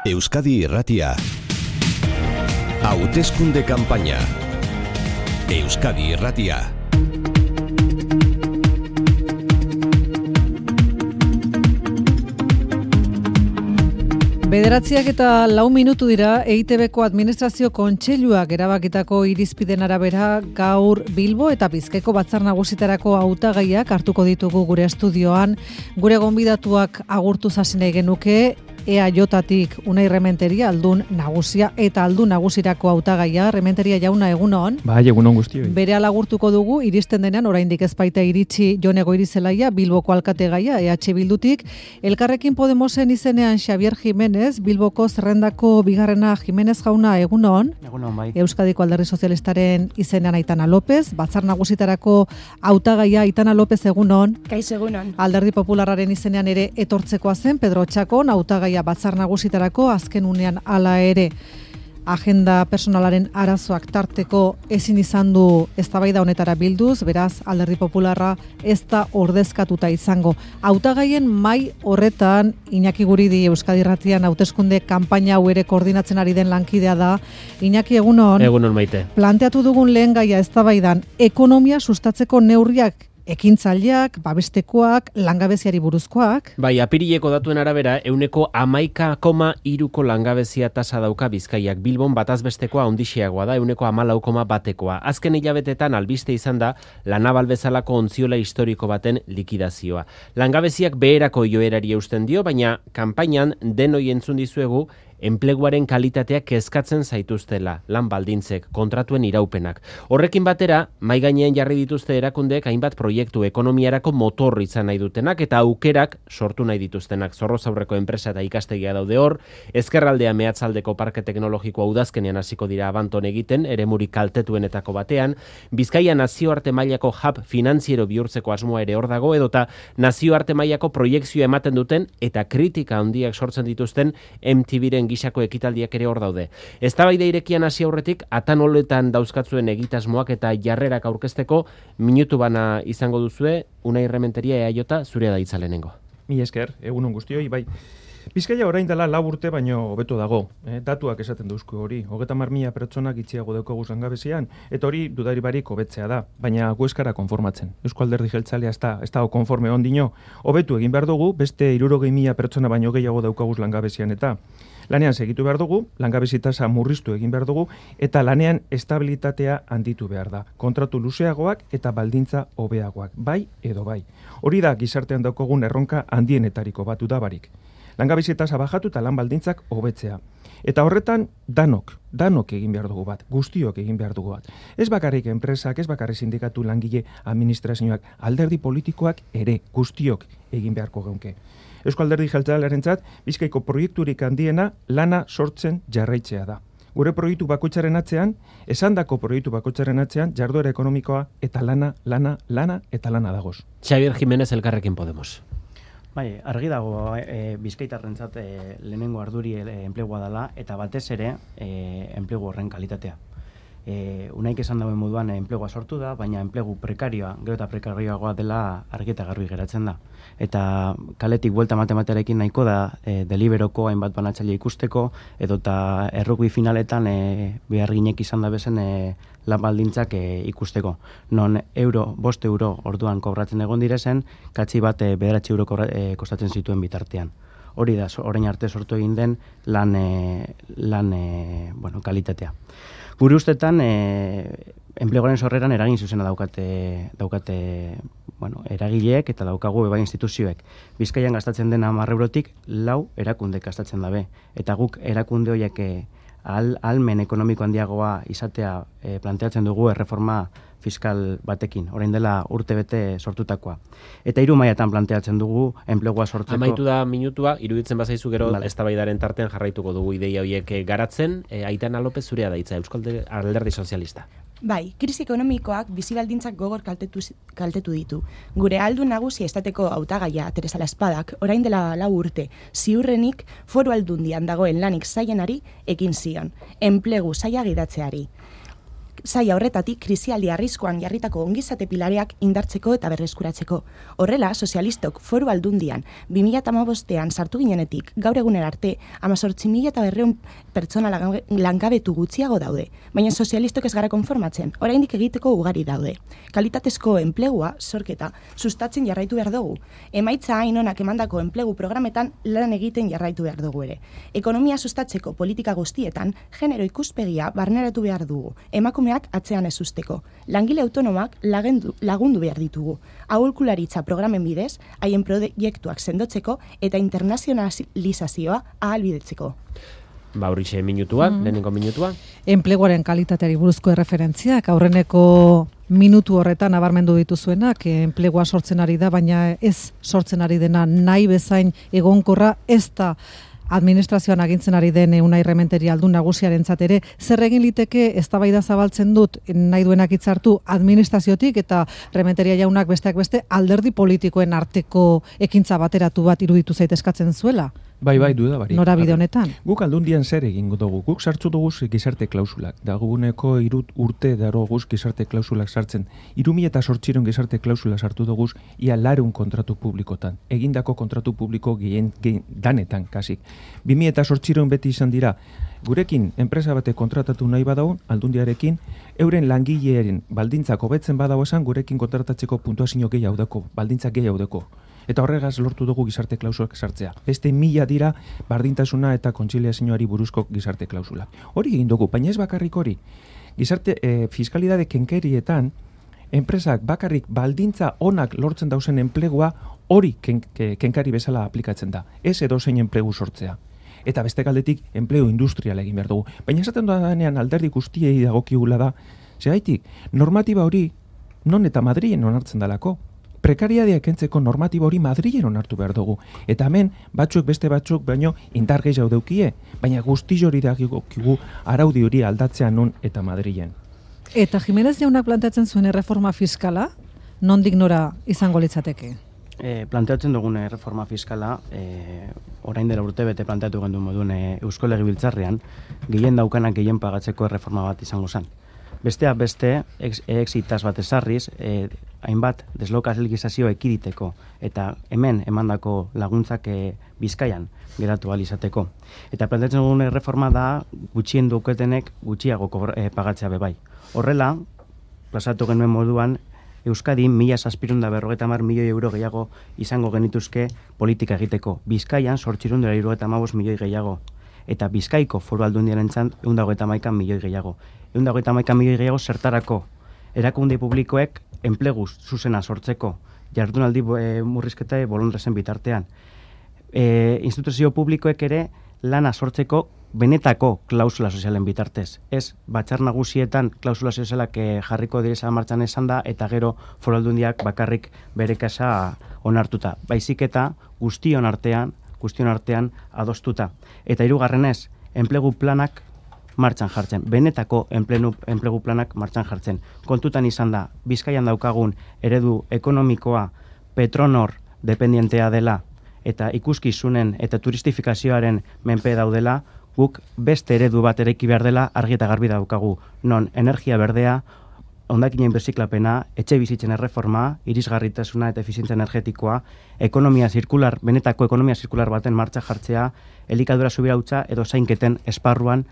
Euskadi Irratia. Hauteskunde kanpaina. Euskadi Irratia. Bederatziak eta 4 minutu dira EITBko administrazio kontseiluak erabakitako irizpiden arabera gaur Bilbo eta Bizkaiko batzar nagusitarako hautagaiak hartuko ditugu gure estudioan. Gure gonbidatuak agurtuz hasi nahi genuke. EAJtik Unai Rementeria, aldun nagusia eta aldun nagusirako hautagaia. Rementeria jauna, egunon. Bai, egunon guztioi. Berehala agurtuko dugu, iristen denean oraindik ez baita iritsi Jon Goirizelaia, Bilboko alkategaia, EH Bildutik. Elkarrekin Podemosen izenean Xabier Jimenez, Bilboko zerrendako bigarrena. Jimenez jauna, egunon. Egunon, bai. Euskadiko Alderdi Sozialistaren izenean Aitana López, batzar nagusitarako hautagaia Aitana López, egunon. Kaixo, egunon. Alderdi Popularraren izenean ere etortzekoa zen Pedro Txakon, hautagaia batzar nagusitarako, azken unean hala ere agenda personalaren arazoak tarteko ezin izan du eztabaida honetara bilduz, beraz Alderdi Popularra ez da ordezkatuta izango. Hautagaien mai horretan Iñaki Guridi Euskadi Irratian hauteskunde kanpaina hau ere koordinatzen ari den lankidea da. Iñaki, egunon. Egunon, Maite. Planteatu dugun lehen gaia eztabaidan ekonomia sustatzeko neurriak, ekintzaileak, babestekoak, langabeziari buruzkoak. Bai, apirileko datuen arabera, 11,3ko langabezia tasa dauka Bizkaiak. Bilbon batazbestekoa handixiagoa da, 14,1koa. Azken hilabetetan albiste izan da Lanaval bezalako ontziola historiko baten likidazioa. Langabeziak beherako joerari eusten dio, baina kanpainan denoi entzun dizuegu enpleguaren kalitateak kezkatzen zaituztela, lan baldintzek, kontratuen iraupenak. Horrekin batera, mahai gainean jarri dituzte erakundeek hainbat proiektu ekonomiarako motor izan nahi dutenak eta aukerak sortu nahi dituztenak. Zorrozaurreko enpresa eta ikastegia daude hor, ezkerraldea mehatzaldeko parke teknologikoa udazkenean hasiko dira Abanton egiten, eremuri kaltetuenetako batean, Bizkaia nazioarte mailako hub finantziero bihurtzeko asmoa ere hor dago, edota nazioarte mailako proiekzioa ematen duten eta kritika handiak sortzen dituzten MTVren gisako ekitaldiak ere hor daude. Eztabaida irekian hasi aurretik atanoletan dauzkatzuen egitasmoak eta jarrerak aurkezteko minutu bana izango duzue. Unai Rementeria, EAJ, zurea da hitza lehenengo. Mila esker, egunon guztioi, bai. Bizkaia orain dela 4 urte baino hobeto dago. Datuak esaten dauzko hori. 30.000 pertsonak itxiago daukagu langabezian, eta hori dudari barik hobetzea da, baina gu ez gara konformatzen. Eusko Alderdi Jeltzalea ez da konforme ondino. Hobetu egin behar dugu, beste 60.000 pertsona baino gehiago daukagu langabezian eta lanean segitu behar dugu, langabezi tasa murriztu egin behar dugu, eta lanean estabilitatea handitu behar da. Kontratu luzeagoak eta baldintza hobeagoak, bai edo bai. Hori da gizartean daukagun erronka handienetariko bat udabarik. Langabezi tasa bajatu eta lan baldintzak hobetzea. Eta horretan danok egin behar dugu bat, guztiok egin behar dugu bat. Ez bakarrik enpresak, ez bakarrik sindikatu, langile, administrazioak, alderdi politikoak ere, guztiok egin beharko geunke. Eusko Alderdi Jeltzalearentzat Bizkaiko proiekturik handiena lana sortzen jarraitzea da. Gure proiektu bakoitzaren atzean, esandako proiektu bakoitzaren atzean, jarduera ekonomikoa eta lana dagoz. Xabier Jimenez, Elkarrekin Podemos. Bai, argi dago Bizkaitarrentzat lehenengo arduri enplegua dela eta batez ere enplegu horren kalitatea. Unaik esan dauen moduan enplegua sortu da, baina enplegu prekarioa, gero eta prekarioagoa dela argi eta garbi geratzen da. Eta kaletik buelta matematearekin nahiko da Deliberoko hainbat banatzaile ikusteko, edota errugbi finaletan beharginek izan da bezen lan baldintzak ikusteko. Non 5 euro orduan kobratzen egon direzen, katzi bat 9 euro kostatzen zituen bitartean. Hori da, orain arte sortu egin den lan kalitatea. Gure ustetan, enpleguaren sorreran eragin zuzena daukate eragileek eta daukagu bai instituzioek. Bizkaian gastatzen den 10 eurotik 4 erakunde gastatzen dabe. Eta guk erakunde horiek ahalmen ekonomiko handiagoa izatea planteatzen dugu erreforma fiskal batekin, orain dela urtebete sortutakoa. Eta 3 mailatan planteatzen dugu enplegua sortzeko. Amaitu da minutua, iruditzen bazaizu gero eztabaidaren tartean jarraituko dugu ideia horiek garatzen. Aitana López, zurea da hitza, Euskal Alderdi Sozialista. Bai, krisi ekonomikoak bizi baldintzak gogor kaltetu ditu. Gure aldun nagusi estateko hautagaia Teresa Laspadak orain dela 4 urte ziurrenik Foru Aldundian dagoen lanik zaienari ekin zion, enplegu saila gidatzeari. saia horretatik krisialdi arriskuan jarritako ongizate pilareak indartzeko eta berreskuratzeko. Horrela, sozialistok Foru Aldundian 2015ean sartu ginenetik gaur egunera arte 18.200 pertsona langabetu gutxiago daude, baina sozialistok ez gara konformatzen, oraindik egiteko ugari daude. Kalitatezko enplegua sorketa sustatzen jarraitu behar dugu. Emaitza hain onak emandako enplegu programetan lan egiten jarraitu behar dugu ere. Ekonomia sustatzeko politika guztietan genero ikuspegia barneratu behar dugu. Emakumeak atzean ez usteko. Langile autonomak lagundu behar ditugu. Aholkularitza programen bidez, haien proiektuak sendotzeko eta internazionalizazioa ahalbidetzeko. Horixe minutua, lehenengo minutua. Enpleguaren kalitateari buruzko erreferentziak, aurreneko minutu horretan nabarmendu dituzuenak, enplegua sortzen ari da, baina ez sortzen ari dena nahi bezain egonkorra, ez da administrazioan agintzen ari den Unai Rementeri aldun nagusiarentzat ere, zer egin liteke eztabaida zabaltzen dut nahi duenak hitzartu administraziotik eta Rementeria jaunak besteak beste alderdi politikoen arteko ekintza bateratu bat iruditu zait eskatzen zuela? Bai, duda barik. Norabide honetan. Guk Aldundian zer egingo dugu? Guk sartzu dugu gizarte klausulak. Daguneko 3 urte daroguz gizarte klausulak sartzen. 2008 gizarte klausula sartu dugu ia 400 kontratu publikotan. Egindako kontratu publiko gehien danetan, kasik. 2008 beti izan dira, gurekin enpresa bate kontratatu nahi badaun, Aldundiarekin, euren langilearen baldintzak hobetzen badau esan, gurekin kontratatzeko puntuazio gehiago deko, baldintzak gehiago deko. Eta horregaz lortu dugu gizarte klausulak sartzea. Beste 1000 dira bardintasuna eta kontziliazioari buruzko gizarte klausulak. Hori egin dugu, baina ez bakarrik hori. Gizarte fiskalidade kenkerietan, enpresak bakarrik baldintza onak lortzen dauzen enplegua hori kenkari bezala aplikatzen da. Ez edozein enplegu sortzea. Eta beste galdetik enplegu industrial egin behar dugu. Baina esaten dudanean alderdi guztiei dagokigula da, zehaitik, normatiba hori non eta Madrilen onartzen dalako. Prekariadea kentzeko normatiba hori Madrilen onartu behar dugu. Eta hemen, beste batzuk, baino indar gehiago deukie, baina guzti hori dagokigu araudi hori aldatzea non eta Madrilen. Eta Jimenez jaunak planteatzen zuen erreforma fiskala, nondik nora izango litzateke? Planteatzen dugun erreforma fiskala, orain dela urte bete planteatu gendu moduen Eusko Legebiltzarrean, gehien daukanak gehien pagatzeko erreforma bat izango zen. Besteak beste, exitaz bat ezarriz, hainbat deslokalizazio ekiditeko eta hemen emandako laguntzak Bizkaian geratu ahal izateko. Eta planteatzen dugun erreforma da gutxien duketenek gutxiago pagatzea bebai. Horrela, plazatu genuen moduan, Euskadin 1.750 milioi euro gehiago izango genituzke politika egiteko. Bizkaian 875 milioi gehiago. Eta Bizkaiko Foru Aldundiarentzat 131 milioi gehiago. 131 milioi gehiago zertarako. Erakunde publikoek enplegu zuzena sortzeko. Jardunaldi murrizketa bolondrezen bitartean. Instituzio publikoek ere lana sortzeko benetako klausula sozialen bitartez. Ez, Batzar Nagusietan klausula sozialak jarriko direza martxan esan da, eta gero Foru Aldundiak bakarrik bere kasa onartuta. Baizik eta guztion artean adostuta. Eta hirugarrenez, enplegu planak martxan jartzen. Benetako enplegu planak martxan jartzen. Kontutan izan da, Bizkaian daukagun eredu ekonomikoa Petronor dependientea dela eta ikuskizunen eta turistifikazioaren menpe daudela, guk beste eredu bat eraiki behar dela argi eta garbi daukagu. Non energia berdea, hondakinen birziklapena, etxe bizitzen erreforma, irisgarritasuna eta efizientzia energetikoa, benetako ekonomia zirkular baten martxa jartzea, elikadura subirautza edo zainketen esparruan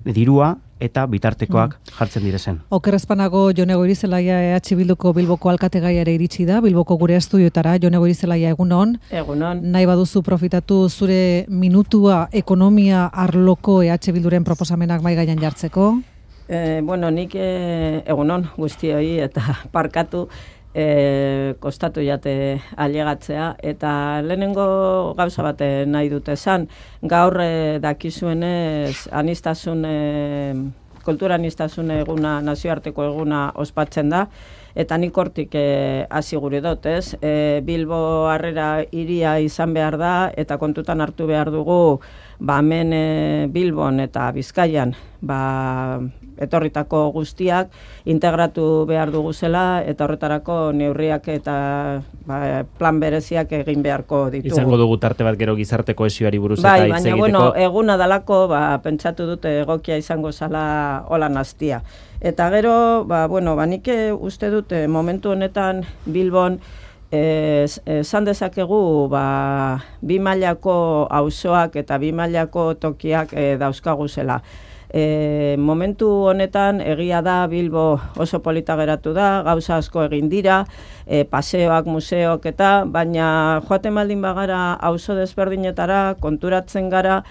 dirua eta bitartekoak jartzen direzen. Oker ezpanago Jone Goirizelaia EH Bilduko Bilboko alkategaia ere iritsi da, Bilboko gure estudioetara. Jone Goirizelaia, egunon. Egunon. Nahi baduzu profitatu zure minutua ekonomia arloko EH Bilduren proposamenak mai gainean jartzeko? Nik egunon guztioi eta parkatu kostatu jate ailegatzea, eta lehenengo gauza bat nahi dute esan, gaur dakizuenez kultura anistasun eguna, nazioarteko eguna ospatzen da, eta nik hortik hasi gure dut, ez? Bilbo harrera hiria izan behar da, eta kontutan hartu behar dugu, hemen Bilbon eta Bizkaian, etorritako guztiak integratu behar dugu zela, eta horretarako neurriak eta plan bereziak egin beharko ditugu. Izango dugu tarte bat gero gizarte kohesioari buruz eta hitz egiteko. Baina, eguna dalako, pentsatu dute egokia izango zala holan hastia. Eta gero, nik uste dut momentu honetan Bilbon esan dezakegu bi mailako auzoak eta bi mailako tokiak dauzkaguzela. Momentu honetan egia da Bilbo oso polita geratu da, gauza asko egin dira, paseoak, museoak eta, baina joaten baldin bagara auzo desberdinetara, konturatzen gara,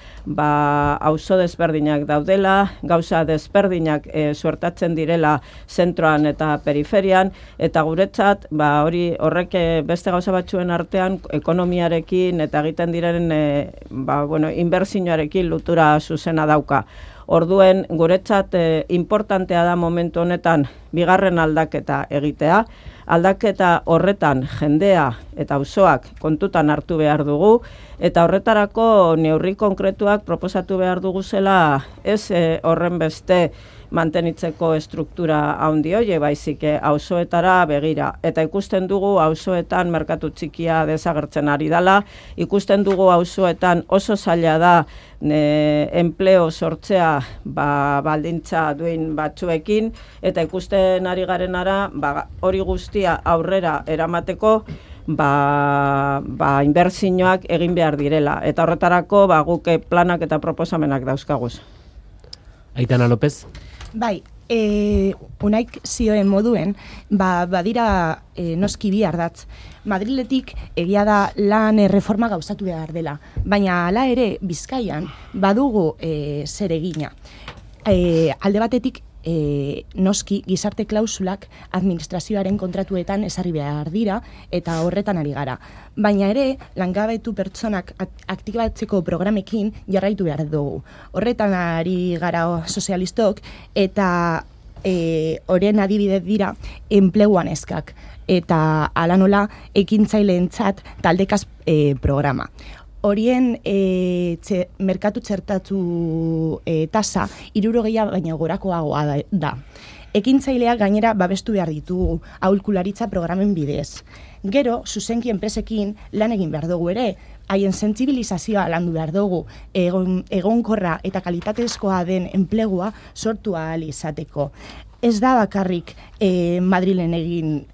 auzo desberdinak daudela, gauza desberdinak suertatzen direla zentroan eta periferian, eta guretzat, horrek beste gauza batzuen artean ekonomiarekin eta egiten diren inbertsioarekin lotura zuzena dauka. Orduen, guretzat importantea da momentu honetan bigarren aldaketa egitea. Aldaketa horretan jendea eta auzoak kontutan hartu behar dugu, eta horretarako neurri konkretuak proposatu behar dugu zela ez horren beste mantenitzeko estruktura handi hoie, baizik auzoetara begira. Eta ikusten dugu auzoetan merkatu txikia desagertzen ari dela, ikusten dugu auzoetan oso zaila da enpleo sortzea baldintza duen batzuekin, eta ikusten ari garenara hori guztia aurrera eramateko inbertsioak egin behar direla. Eta horretarako guk planak eta proposamenak dauzkaguz. Aitana López? Bai, unaik zioen moduen, badira noski bi ardatz. Madriletik egia da lan erreforma gauzatu behar dela, baina hala ere Bizkaian badugu zer egina. Alde batetik noski gizarte klausulak administrazioaren kontratuetan ezarri behar dira eta horretan ari gara. Baina ere, langabetu pertsonak aktibatzeko programekin jarraitu behar dugu. Horretan ari gara sozialistok eta horren adibide dira enpleguan eskak eta ala nola ekintzaileentzat taldekaz programa. Horien merkatu txertatu tasa 60 baina gorakoagoa da. Ekintzaileak gainera babestu behar ditugu aholkularitza programen bidez. Gero, zuzenki enpresekin lan egin behar dugu ere, haien sentsibilizazioa landu behar dugu, egonkorra eta kalitatezkoa den enplegua sortu ahal izateko. Ez da bakarrik Madrilen egin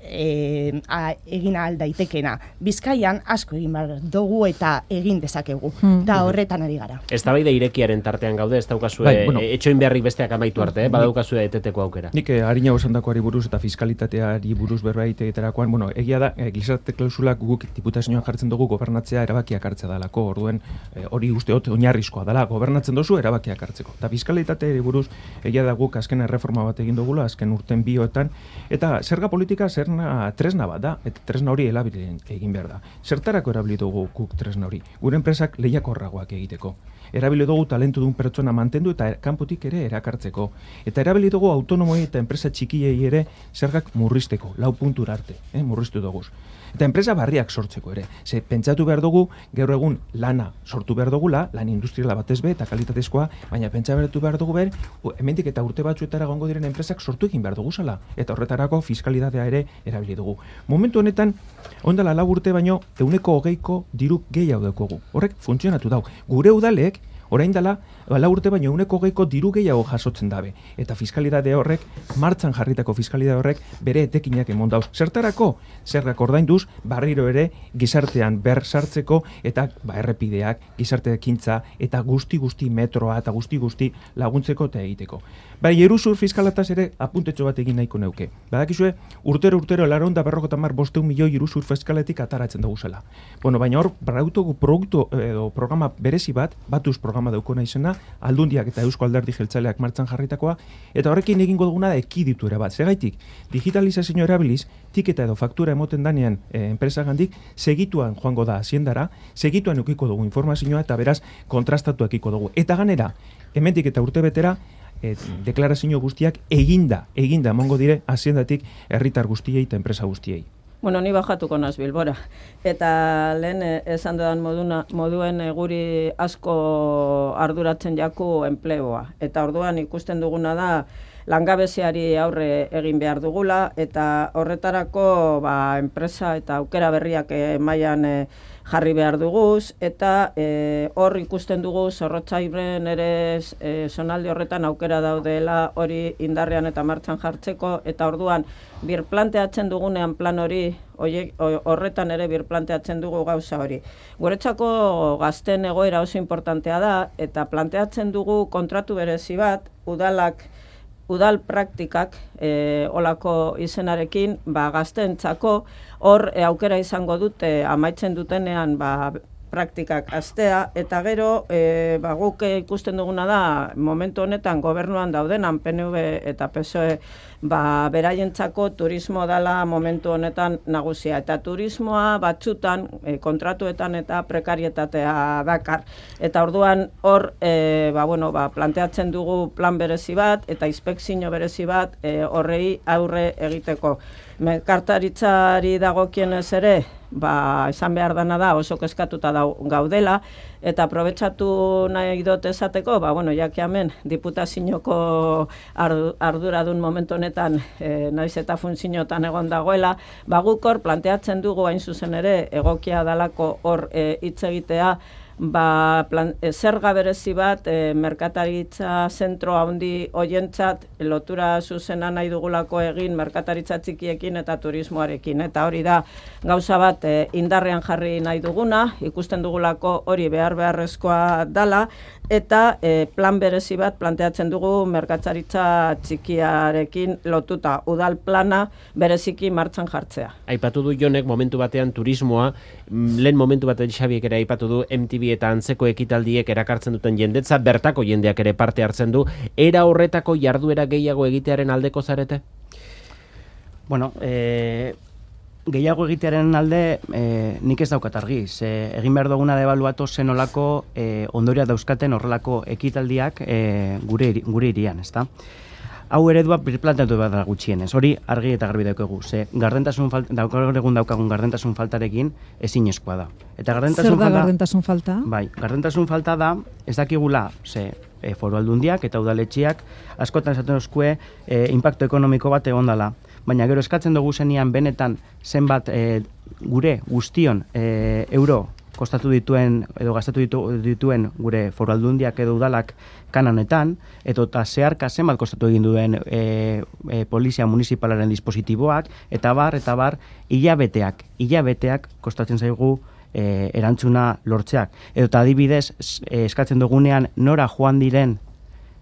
ahal daitekena. Bizkaian asko egin behar dugu eta egin dezakegu. Da horretan ari gara. Eztabaida irekiaren tartean gaude, ez daukazue etxoin beharrik besteak amaitu arte, badaukazue eteteko aukera. Nik harina osandakoari buruz eta fiskalitateari buruz berbait egiterakoan, egia da, gizarte klausulak guk diputazioan jartzen dugu gobernatzea erabakiak hartzea dalako, orduen hori usteot oinarrizkoa dela, gobernatzen dozu erabakiak hartzeko. Eta fiskalitateari buruz egia da guk azken erreforma bat egin dugu azken urten bioetan, eta zerga politika tresna bat da, eta tresna hori erabilen egin behar da. Zertarako erabili dugu guk tresna hori? Gure enpresak lehiakorragoak egiteko. Erabili dugu talentu duen pertsona mantendu eta kanpotik ere erakartzeko. Eta erabili dugu autonomoi eta enpresa txikiei ere zergak murrizteko, 4 puntura arte, murriztu dugu. Eta enpresa barriak sortzeko ere. Ze pentsatu behar dugu, gaur egun lana sortu behar dugula, lan industriala batez be eta kalitatezkoa, baina pentsatu behar dugu hemendik eta urte batzuetara gongo diren enpresak sortu egin behar dugu zala. Eta horretarako fiskalitatea ere erabili dugu. Momentu honetan, ondala 4 urte baino, 120 diru gehiago daukogu. Horrek funtzionatu dau. Gure udalek, orain dela, 4 urte baino 120 diru gehiago jasotzen dabe. Eta fiskalidade horrek, martxan jarritako fiskalidade horrek, bere etekinak emon dauz. Zertarako, zergak ordainduz, barriro ere gizartean ber sartzeko eta errepideak, gizarte ekintza eta guzti metroa eta guzti laguntzeko eta egiteko. Bai, iruzur fiskalataz ere apuntetxo bat egin nahiko neuke. Badakizue, urtero 450 milioi iruzur fiskaletik ataratzen dugu zela. Baina hor, produktu edo programa berezi batuz programa daukona izena, Aldundiak eta Eusko Alderdi Jeltzaleak martxan jarritakoa, eta horrekin egingo duguna da ekiditura bat. Zegaitik, digitalizazio erabiliz, tiketa edo faktura emoten danean enpresagandik, segituan joango da haziendara, segituan eukiko dugu informazioa eta beraz kontrastatu ekiko dugu. Eta ganera, hemendik eta urte betera, deklarazio guztiak eginda emongo dire haziendatik herritar guztiei eta enpresa guztiei. Ni bajatuko naz Bilbora. Eta lehen esan dudan moduen guri asko arduratzen jaku enplegoa. Eta orduan ikusten duguna da langabeziari aurre egin behar dugula, eta horretarako enpresa eta aukera berriak mailan jarri behar duguz, eta hor ikusten dugu Zorrotzairen ere zonalde horretan aukera daudela hori indarrean eta martxan jartzeko, eta orduan birplanteatzen dugunean plan hori, horretan ere birplanteatzen dugu gauza hori. Guretzako gazten egoera oso importantea da, eta planteatzen dugu kontratu berezi bat, udal praktikak olako izenarekin gazteentzako hor aukera izango dute amaitzen dutenean praktikak astea, eta gero guk ikusten duguna da momentu honetan gobernuan daudenan PNV eta PSOE beraientzako turismo dela momentu honetan nagusia, eta turismoa batzutan kontratuetan eta prekarietatea dakar, eta orduan hor planteatzen dugu plan berezi bat eta inspekzio berezi bat horrei aurre egiteko. Merkataritzari dagokienez ere, esan behar dana da oso kezkatuta gaudela, eta aprobetxatu nahi dut esateko, jaki hemen diputazioko arduradun momentu honetan naiz eta funtziotan egon dagoela, guk hor planteatzen dugu hain zuzen ere egokia dalako hor hitz egitea, zerga berezi bat merkataritza zentro handi hoientzat lotura zuzena nahi dugulako egin merkataritza txikiekin eta turismoarekin, eta hori da gauza bat indarrean jarri nahi duguna, ikusten dugulako hori beharrezkoa dala, eta plan berezi bat planteatzen dugu merkataritza txikiarekin lotuta, udal plana bereziki martxan jartzea. Aipatu du Jonek momentu batean turismoa, lehen momentu batean Xabiek ere aipatu du MTV eta antzeko ekitaldiek erakartzen duten jendetza, bertako jendeak ere parte hartzen du, era horretako jarduera gehiago egitearen aldeko zarete? Bueno, gehiago egitearen alde nik ez daukat argi. Egin behar duguna debaluatu zenolako ondoria dauzkaten horrelako ekitaldiak gure irian, ezta? Hau eredua birplanteatu behar da gutxienez. Hori argi eta garbi daukagu. Daukagun gardentasun faltarekin ezinezkoa da. Zer da gardentasun falta? Bai, gardentasun falta da, ez dakigula, foru aldundiak eta udaletxiak askotan esaten oskue inpaktu ekonomiko bat egon dela. Baina gero eskatzen dugu zenian benetan zenbat gure guztion euro kostatu dituen edo gastatu dituen gure foru aldundiak edo udalak kananetan, eta zeharka zenbat kostatu egin duen polizia municipalaren dispositiboak, eta bar, hilabeteak kostatzen zaigu erantzuna lortzeak. Edo adibidez, eskatzen dugunean nora joan diren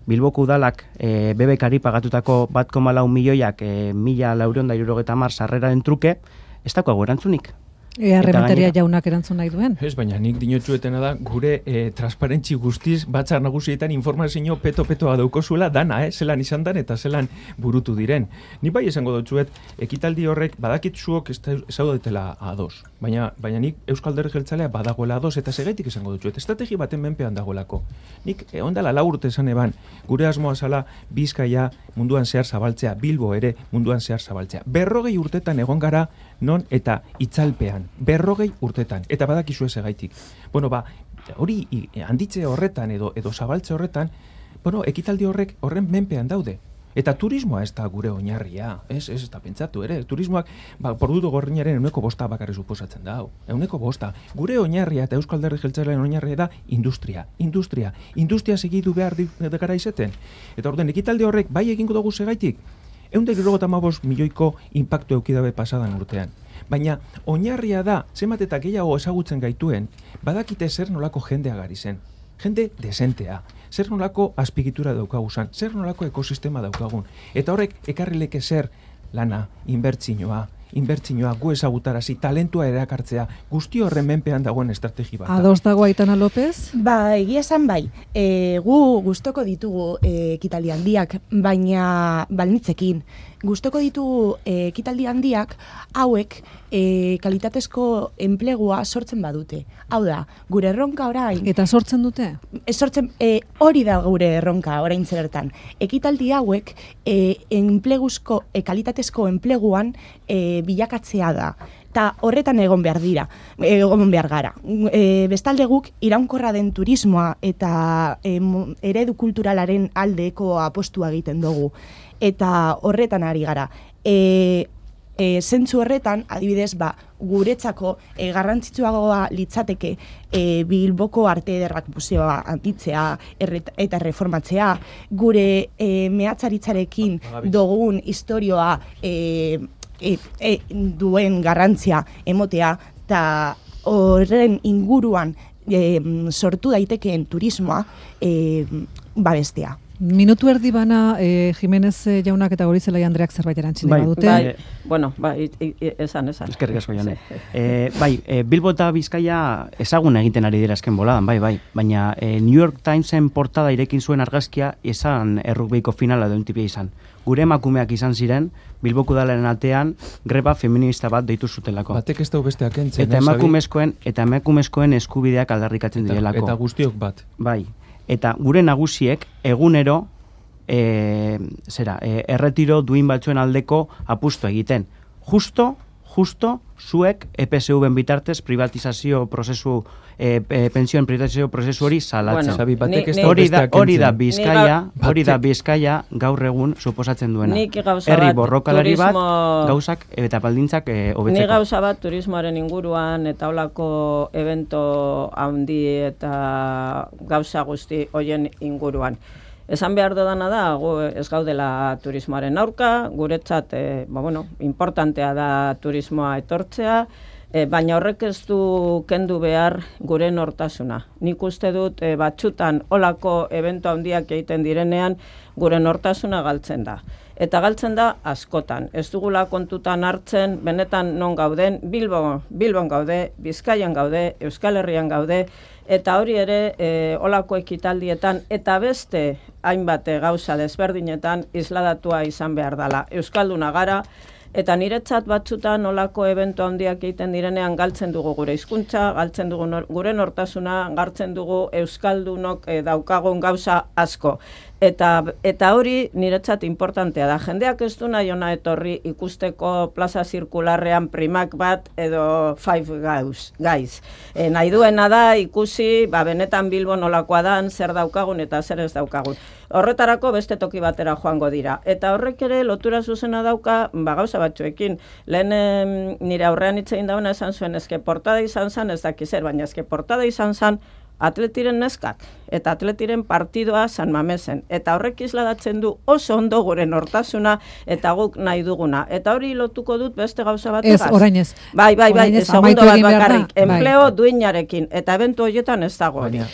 Bilboko udalak BBKari pagatutako 1,4 milioiak 1.470 sarreraren truke, ez dagoago erantzunik. Errementaria jaunak erantzun nahi duen? Ez, baina nik dinotxuetena da gure transparentzi guztiz batzar nagusietan informazio peto-petoa daukozuela dana, zelan izan dan eta zelan burutu diren. Ni bai esango dutzuet, ekitaldi horrek badakit zuok ez daudetela ados. Baina nik Euskal Alderdi Jeltzalea badagoela ados eta segaitik esango dutzuet. Estrategi baten menpean dagoelako. Nik ondala 4 urte esan eban, gure asmoa zala Bizkaia munduan zehar zabaltzea, Bilbo ere munduan zehar zabaltzea. 40 urtetan egon gara non eta itzalpean. 40 urtetan, eta badakizu ez egaitik. Hori handitze horretan edo zabaltze horretan, ekitaldi horren menpean daude. Eta turismoa ez da gure oinarria, ez da pentsatu ere. Turismoak, Pordutu Gorrinaren 1% bakarri suposatzen da. 1%. Gure oinarria eta Euskal Alderdi Jeltzalearen oinarria da industria. Industria segitu behar gara izeten. Eta orden, ekitaldi horrek bai egingo dugu segaitik, 195 milioiko inpaktu eukidabe pasadan urtean. Baina oinarria da, zenbat eta gehiago ezagutzen gaituen, badakite zer nolako jendea gari zen. Jende desentea. Zer nolako azpigitura daukaguzan, zer nolako ekosistema daukagun. Eta horrek ekarrileke zer lana, inbertsioa gu ezagutarazi, talentua erakartzea, guzti horren menpean dagoen estrategi bat. Ados dago Aitana López? Egia esan bai. Gu gustoko ditugu ekitaldi handiak, baina balnitzekin. Gustoko ditugu ekitaldi handiak hauek kalitatezko enplegua sortzen badute. Hau da, gure erronka orain... Eta sortzen dute? Hori da gure erronka orain zertan. Ekitaldi hauek kalitatezko enpleguan bilakatzea da. eta horretan egon behar gara. Bestalde guk iraunkorra den turismoa eta eredu kulturalaren aldeko apostua egiten dugu. Eta horretan ari gara. Zentzu horretan, adibidez, guretzako garrantzitsuagoa litzateke Bilboko Arte Ederrak museoa handitzea eta reformatzea, gure mehatzaritzarekin dugun istorioa duen garrantzia emotea, eta horren inguruan sortu daitekeen turismoa babestea. Minutu erdi bana, Jimenez jaunak eta Gorizelaia Andreak zerbait erantzine badute. Esan. Eskerrik asko, Jone. Bilbo eta Bizkaia ezagun egiten ari dira azken boladan, baina New York Timesen portada irekin zuen argazkia esan errugbeiko finala duen tipia izan. Gure emakumeak izan ziren, Bilboko udalaren atean greba feminista bat deitu zutelako. Batek ez dau besteak entzen. Eta emakumezkoen eskubideak aldarrikatzen direlako. Eta guztiok bat. Bai. Eta gure nagusiek egunero erretiro duin batzuen aldeko apustu egiten. Justo zuek EPSV-en bitartez privatizazio prozesu pensioen privatizazio prozesu hori salatzen. Hori da Bizkaia gaur egun suposatzen duena. Herri borrokalari bat gauzak eta baldintzak hobetzeko. Ni gauza bat turismoaren inguruan eta holako evento handi eta gauza guzti hoien inguruan. Esan behar dudana da, ez gaudela turismoaren aurka, guretzat, importantea da turismoa etortzea, baina horrek ez du kendu behar gure nortasuna. Nik uste dut batzutan olako evento handiak egiten direnean gure nortasuna galtzen da. Eta galtzen da askotan. Ez dugula kontutan hartzen, benetan non gauden, Bilbon gaude, Bizkaian gaude, Euskal Herrian gaude, eta hori ere olako ekitaldietan eta beste hainbat gauza desberdinetan isladatua izan behar dela. Euskalduna gara, eta niretzat batzutan olako evento handiak egiten direnean galtzen dugu gure hizkuntza, galtzen dugu gure nortasuna, galtzen dugu euskaldunok daukagun gauza asko. Eta hori niretzat importantea da. Jendeak ez du nahi ona etorri ikusteko plaza zirkularrean primak bat edo Five Guys. Nahi duena da ikusi, benetan Bilbon nolakoa dan, zer daukagun eta zer ez daukagun. Horretarako beste toki batera joango dira. Eta horrek ere lotura zuzena dauka, gauza batzuekin. Lehen nire aurrean hitz egin dauna esan zuen, eske portada izan zen, ez dakizer, baina eske portada izan zen atletiren neskak eta atletiren partidoa San Mamesen. Eta horrek isladatzen du oso ondo gure nortasuna eta guk nahi duguna. Eta hori lotuko dut beste gauza bat egaz. Ez, orain ez. Bai, segundo bat bakarrik. Enpleo duinarekin. Eta ebentu horietan ez dago. Baina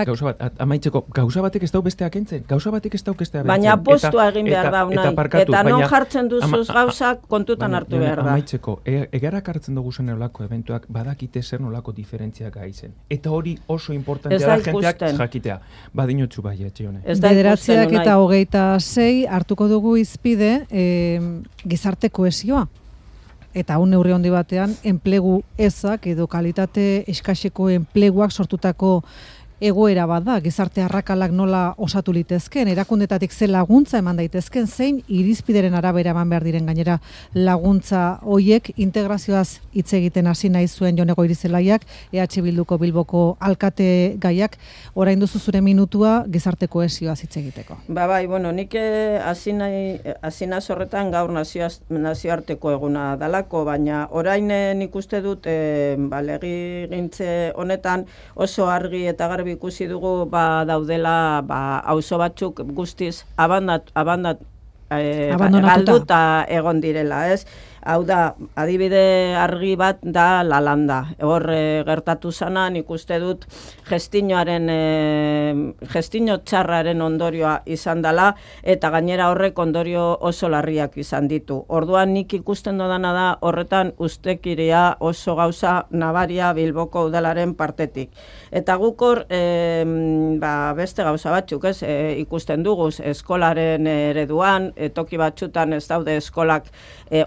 gauza bat, amaitzeko, gauza batek ez dau besteak entzen. Gauza batek ez dau bestea bentzen. Baina postua egin behar da unai. Eta non jartzen duzuz gauzak kontutan hartu behar da. Amaitzeko, egarak hartzen dugu zen olako eventuak badakite zer nolako diferentziak gaizen. Eta hori oso importantea da jenteak jakitea. Badinutzu bai, etxione. 9:26 hartuko dugu izpide gizarte kohesioa. Eta un neurri handi batean, enplegu ezak edo kalitate eskaseko enpleguak sortutako egoera bat da, gizarte arrakalak nola osatu litezken, erakundetatik ze laguntza eman daitezken, zein irizpideren arabera eman behar diren gainera laguntza hoiek integrazioaz hitz egiten hasi nahi zuen Jone Goirizelaiak, EH Bilduko Bilboko alkate gaiak, orain duzu zure minutua gizarte kohesioaz hitz egiteko. Nik hasi naiz horretan gaur nazioarteko eguna dalako, baina orain nik uste dut legigintze honetan oso argi eta garbi ikusi dugu daudela auzo batzuk guztiz galduta egon direla, ez? Hau da, adibide argi bat da Lalanda. Hor gertatu zana, nik uste dut gestino txarraren ondorioa izan dela, eta gainera horrek ondorio oso larriak izan ditu. Orduan nik ikusten dodana da horretan ustekiria oso gauza nabaria Bilboko udalaren partetik. Eta guk hor beste gauza batzuk, ez? Ikusten dugu eskolaren ereduan, toki batzutan ez daude eskolak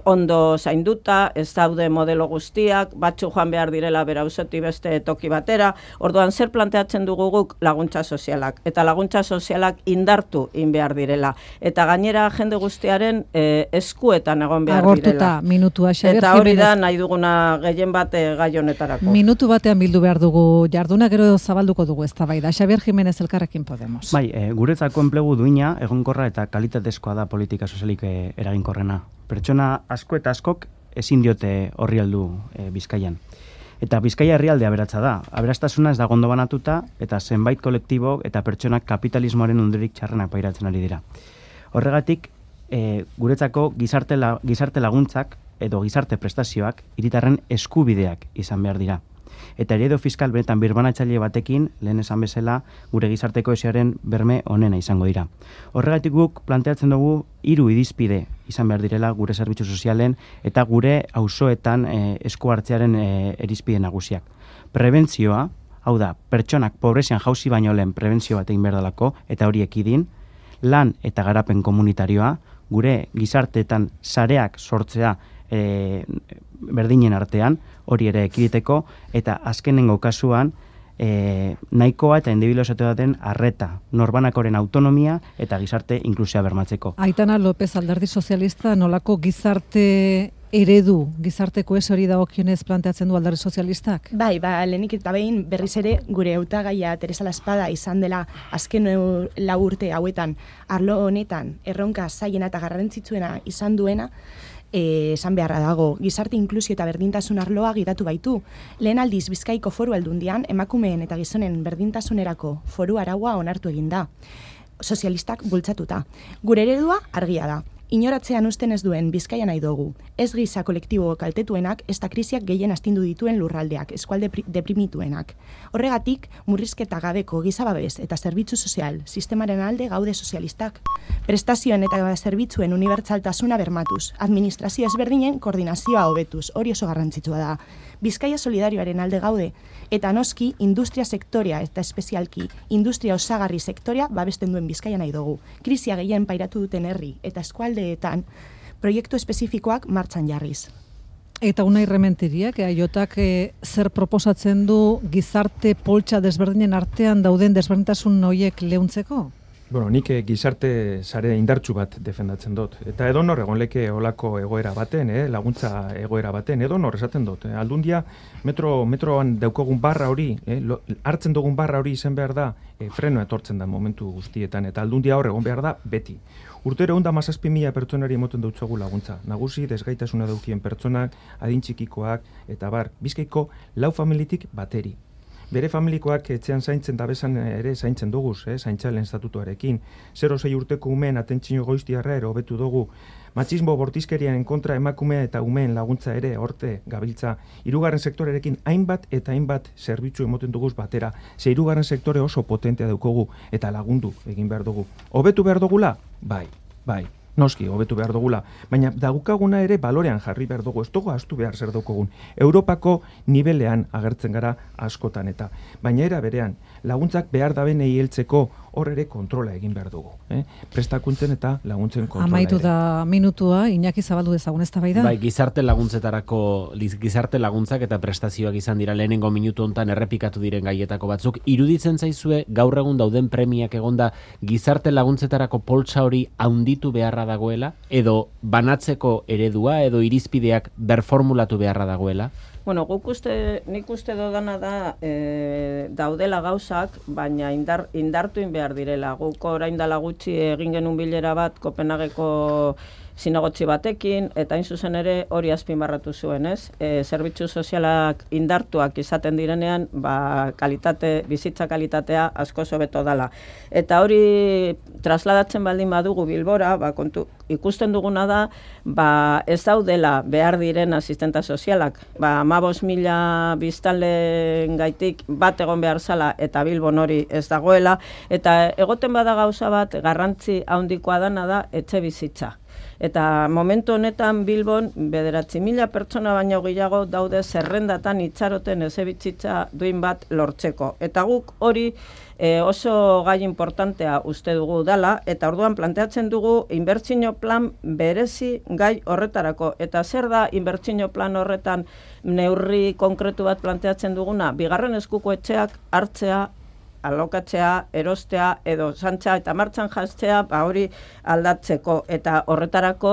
ondo ondo zainduta, ez daude modelo guztiak, batzu joan behar direla bera auzotik beste toki batera, orduan zer planteatzen dugu guk laguntza sozialak, eta laguntza sozialak indartu in behar direla, eta gainera jende guztiaren eskuetan egon behar Agortuta, direla. minutua, Xabier Eta hori da Jimenez. nahi duguna gehien bat gai honetarako. Minutu batean bildu behar dugu jarduna, gero zabalduko dugu eztabaida. Xabier Jimenez Elkarrekin Podemos. Bai, guretzako enplegu duina, egonkorra eta kalitatezkoa da politika sozialik eraginkorrena. Pertsona asko eta askok ezin diote horri heldu Bizkaian. Eta Bizkaia herrialde aberatsa da. Aberastasuna ez da ondo banatuta eta zenbait kolektibok eta pertsonak kapitalismoaren ondorik txarrenak pairatzen ari dira. Horregatik, guretzako gizarte laguntzak edo gizarte prestazioak hiritarren eskubideak izan behar dira. Eta eredu fiskal benetan birbanatzaile batekin, lehen esan bezala, gure gizarte kohesioaren berme onena izango dira. Horregatik guk planteatzen dugu 3 irizpide izan behar direla gure zerbitzu sozialen eta gure auzoetan esku hartzearen irizpide nagusiak. Prebentzioa, hau da, pertsonak pobrezian jauzi baino lehen prebentzio bat egin behar dalako, eta hori ekidin, lan eta garapen komunitarioa, gure gizarteetan sareak sortzea berdinen artean, hori ere ekiditeko, eta azkenengo kasuan, nahikoa eta indibidualizatu den arreta, norbanakoren autonomia eta gizarte inklusioa bermatzeko. Aitana López, Alderdi Sozialista, nolako gizarte eredu, gizarte kohesiori dagokionez planteatzen du Alderdi Sozialistak? Bai, lehenik eta behin berriz ere gure hautagaia Teresa Laspada izan dela azken 4 urte hauetan arlo honetan erronka zailena eta garrantzitsuena izan duena, esan beharra dago, gizarte inklusio eta berdintasun arloa gidatu baitu. Lehen aldiz Bizkaiko Foru Aldundian emakumeen eta gizonen berdintasunerako foru araua onartu egin da. Sozialistak bultzatuta. Gure eredua argia da. Inoratzean usten ez duen Bizkaia nahi dugu. Ez giza kolektibo kaltetuenak, ez da krisiak gehien astindu dituen lurraldeak, eskualde deprimituenak. Horregatik, murrizketa gabeko gizababez eta zerbitzu sozial sistemaren alde gaude sozialistak. Prestazioen eta zerbitzuen unibertsaltasuna bermatuz, administrazio ezberdinen koordinazioa hobetuz, hori oso garrantzitsua da. Bizkaia solidarioaren alde gaude, eta noski industria sektorea eta espezialki industria osagarri sektorea babesten duen Bizkaia nahi dugu. Krisia gehien pairatu duten herri eta eskualdeetan proiektu espezifikoak martxan jarriz. Eta Unai Rementeriak, eaiotak zer proposatzen du gizarte poltsa desberdinen artean dauden desberdintasun horiek leuntzeko? Bueno, nik gizarte sare indartsu bat defendatzen dut. Eta edonor egon leke olako egoera baten, laguntza egoera baten, edonor esaten dut. Aldundia metroan daukogun barra hori, hartzen dugun barra hori izan behar da, frenoa etortzen da momentu guztietan, eta aldundia hor egon behar da beti. Urtero 117.000 pertsonari emoten dutzogu laguntza. Nagusi, desgaitasuna daukien pertsonak, adin txikikoak, eta bar, Bizkaiko 4 familitik bateri. Bere familikoak etxean zaintzen dabezan ere zaintzen duguz, zaintzalen estatutuarekin. 0-6 urteko umeen atentzio goiztiarra ere hobetu dugu. Matxismo bortizkeriaren kontra emakumea eta umeen laguntza ere horte gabiltza. 3. sektorerekin hainbat eta hainbat zerbitzu emoten duguz batera. 3. sektore oso potentea daukogu eta lagundu egin behar dugu. Hobetu behar dugula? Bai. Noski, hobetu behar dugula, baina dagukaguna ere balorean jarri behar dugu, ez dugu astu behar zer daukagun. Europako nibelean agertzen gara askotan eta, baina era berean, laguntzak behar dabenei heltzeko hor ere kontrola egin behar dugu. Prestakuntzen eta laguntzen kontrola Amaitu ere. da minutua, Iñaki zabaldu dezagun eztabaida. Bai, gizarte laguntzak eta prestazioak izan dira lehenengo minutu hontan errepikatu diren gaietako batzuk. Iruditzen zaizue gaur egun dauden premiak egonda gizarte laguntzetarako poltsa hori handitu beharra dagoela edo banatzeko eredua edo irizpideak berformulatu beharra dagoela? Bueno, nik uste dodana da daudela gauzak, baina indartu behar direla. Guk orain dela gutxi egin genuen bilera bat Kopenhageko zinegotzi batekin, eta hain zuzen ere hori azpimarratu zuen, ez? Zerbitzu sozialak indartuak izaten direnean, bizitza kalitatea asko hobeto dala. Eta hori trasladatzen baldin badugu Bilbora, ikusten duguna da, ez daudela behar diren asistenta sozialak. 15.000 biztanleen gaitik bat egon behar zala eta Bilbon hori ez dagoela, eta egoten bada gauza bat garrantzi handikoa dana da etxe bizitza. Eta momentu honetan Bilbon 9.000 pertsona baino gehiago daude zerrendatan itxaroten ezebitzitza duin bat lortzeko. Eta guk hori oso gai importantea uste dugu dala, eta orduan planteatzen dugu inbertsio plan berezi gai horretarako. Eta zer da inbertsio plan horretan neurri konkretu bat planteatzen duguna? Bigarren eskuko etxeak hartzea, alokatzea, erostea edo santza eta martxan jastzea, hori aldatzeko, eta horretarako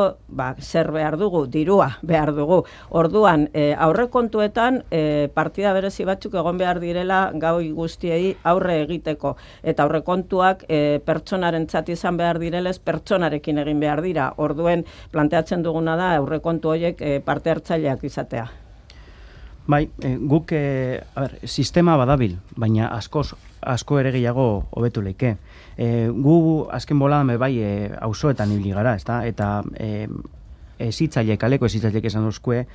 zer behar dugu, dirua behar dugu. Orduan, aurrekontuetan partida berezi batzuk egon behar direla goi guztiei aurre egiteko, eta aurrekontuak pertsonarentzat izan behar direlez, pertsonarekin egin behar dira. Orduen planteatzen duguna da aurrekontu horiek parte hartzaileak izatea. Bai, guk sistema badabil, baina asko ere gehiago hobetu leike. Gu azken boladan auzoetan ibili gara, ezta? Eta kaleko ezitzaileek esan duzkue,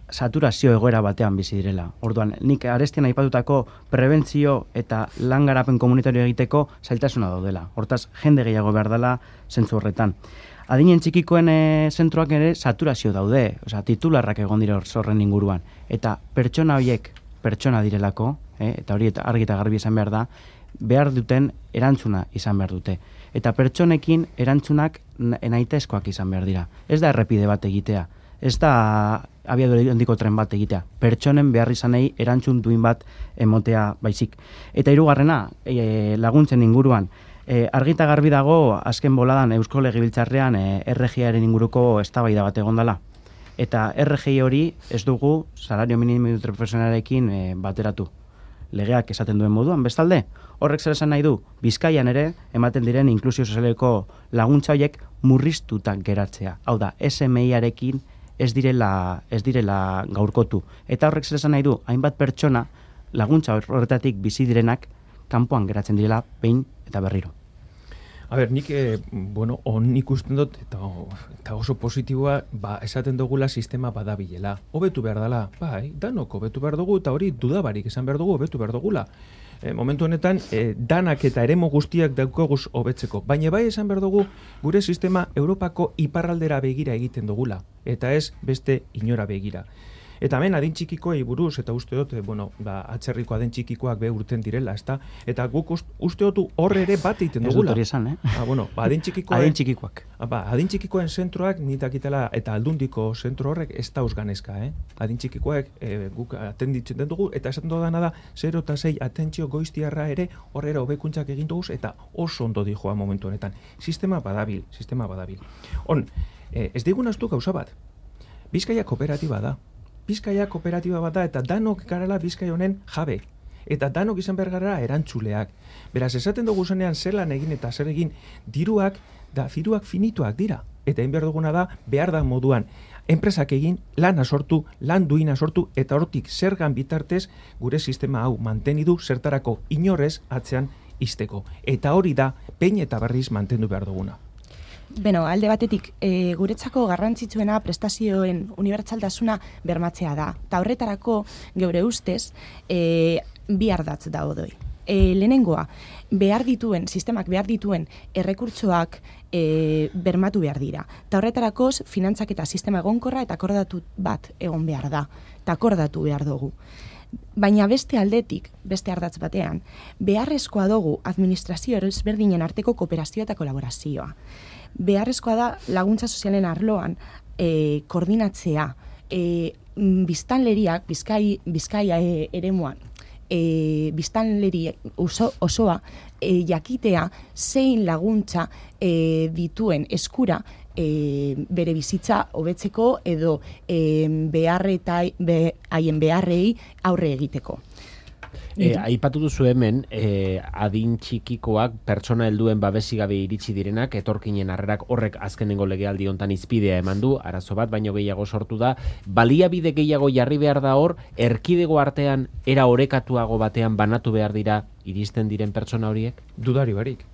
saturazio egoera batean bizi direla. Orduan, nik arestian aipatutako prebentzio eta lan garapen komunitario egiteko zailtasuna daudela. Hortaz, jende gehiago behar dela zentzu horretan. Adinen txikikoen zentroak ere saturazio daude, titularrak egon dira horren inguruan. Eta pertsona horiek pertsona direlako, eta hori argi eta garbi izan behar da, behar duten erantzuna izan behar dute. Eta pertsonekin erantzunak nahitaezkoak izan behar dira. Ez da errepide bat egitea, ez da abiadura handiko tren bat egitea. Pertsonen behar izanei erantzun duin bat emotea baizik. Eta hirugarrena, laguntzen inguruan, argita garbi dago azken boladan Eusko Legebiltzarrean RGIaren inguruko eztabaida bat egon dela. Eta RGI hori ez dugu salario minimo interprofesionalarekin bateratu. Legeak esaten duen moduan, bestalde, horrek zer esan nahi du, Bizkaian ere ematen diren inklusio sozialeko laguntza horiek murriztutak geratzea. Hau da, SMI-arekin ez direla gaurkotu. Eta horrek zer esan nahi du, hainbat pertsona laguntza horretatik bizi direnak kanpoan geratzen direla behin eta berriro. Nik ikusten dut, eta oso positiboa, esaten dugula sistema badabilela. Hobetu behar dela, danok hobetu behar dugu, eta hori dudabarik esan behar dugu, hobetu behar dugula. Momentu honetan, danak eta eremu guztiak daukaguz hobetzeko. Baina bai esan behar dugu, gure sistema Europako iparraldera begira egiten dugula, eta ez beste inora begira. Eta hemen adin txikikoei buruz, eta uste dut, atzerriko adin txikikoak urten direla, ezta? Eta guk uste dut horre ere bat egiten dugula. Ez dut hori esan, adin txikikoak. Adin txikikoen zentroak nitakitela, eta aldundiko zentro horrek ez dauz ganezka, Adin txikikoek guk atenditzen dugu, eta esaten dudana da, 0 eta 6 atentzio goiztiarra ere horrera hobekuntzak egin duguz, eta oso ondo dijoa momentu honetan. Sistema badabil. Ez digun astu gauza bat. Bizkaia kooperatiba da. Bizkaia kooperatiba bat da, eta danok garala Bizkaia honen jabe. Eta danok izan behar gara erantzuleak. Beraz, esaten dugu zenean zer lan egin eta zer egin, diruak finituak dira. Eta egin behar duguna da, behar da moduan, enpresak egin, lana sortu, lan duina sortu, eta hortik zergan bitartez gure sistema hau mantenidu zertarako inorrez atzean izteko. Eta hori da, pein eta berriz mantendu behar duguna. Alde batetik, guretzako garrantzitsuena prestazioen unibertsaltasuna bermatzea da. Ta horretarako, geure ustez, bi ardatz daudoi. Lehenengoa, sistemak behar dituen errekurtsoak bermatu behar dira. Ta horretarako, finantzak eta sistema egonkorra eta akordatu bat egon behar da. Ta akordatu behar dugu. Baina beste aldetik, beste ardatz batean, beharrezkoa dugu administrazio ezberdinen arteko kooperazioa eta kolaborazioa. Beharrezkoa da laguntza sozialen arloan koordinatzea, biztanleriak, Bizkaia eremuan, biztanleri osoa jakitea zein laguntza dituen eskura bere bizitza hobetzeko edo haien beharrei aurre egiteko. Aipatu duzu hemen, adin txikikoak pertsona helduen babesigabe iritsi direnak, etorkinen harrerak horrek azkenengo legealdi hontan izpidea eman du, arazo bat baino gehiago sortu da, baliabide gehiago jarri behar da hor, erkidego artean era orekatuago batean banatu behar dira iristen diren pertsona horiek? Dudari barik.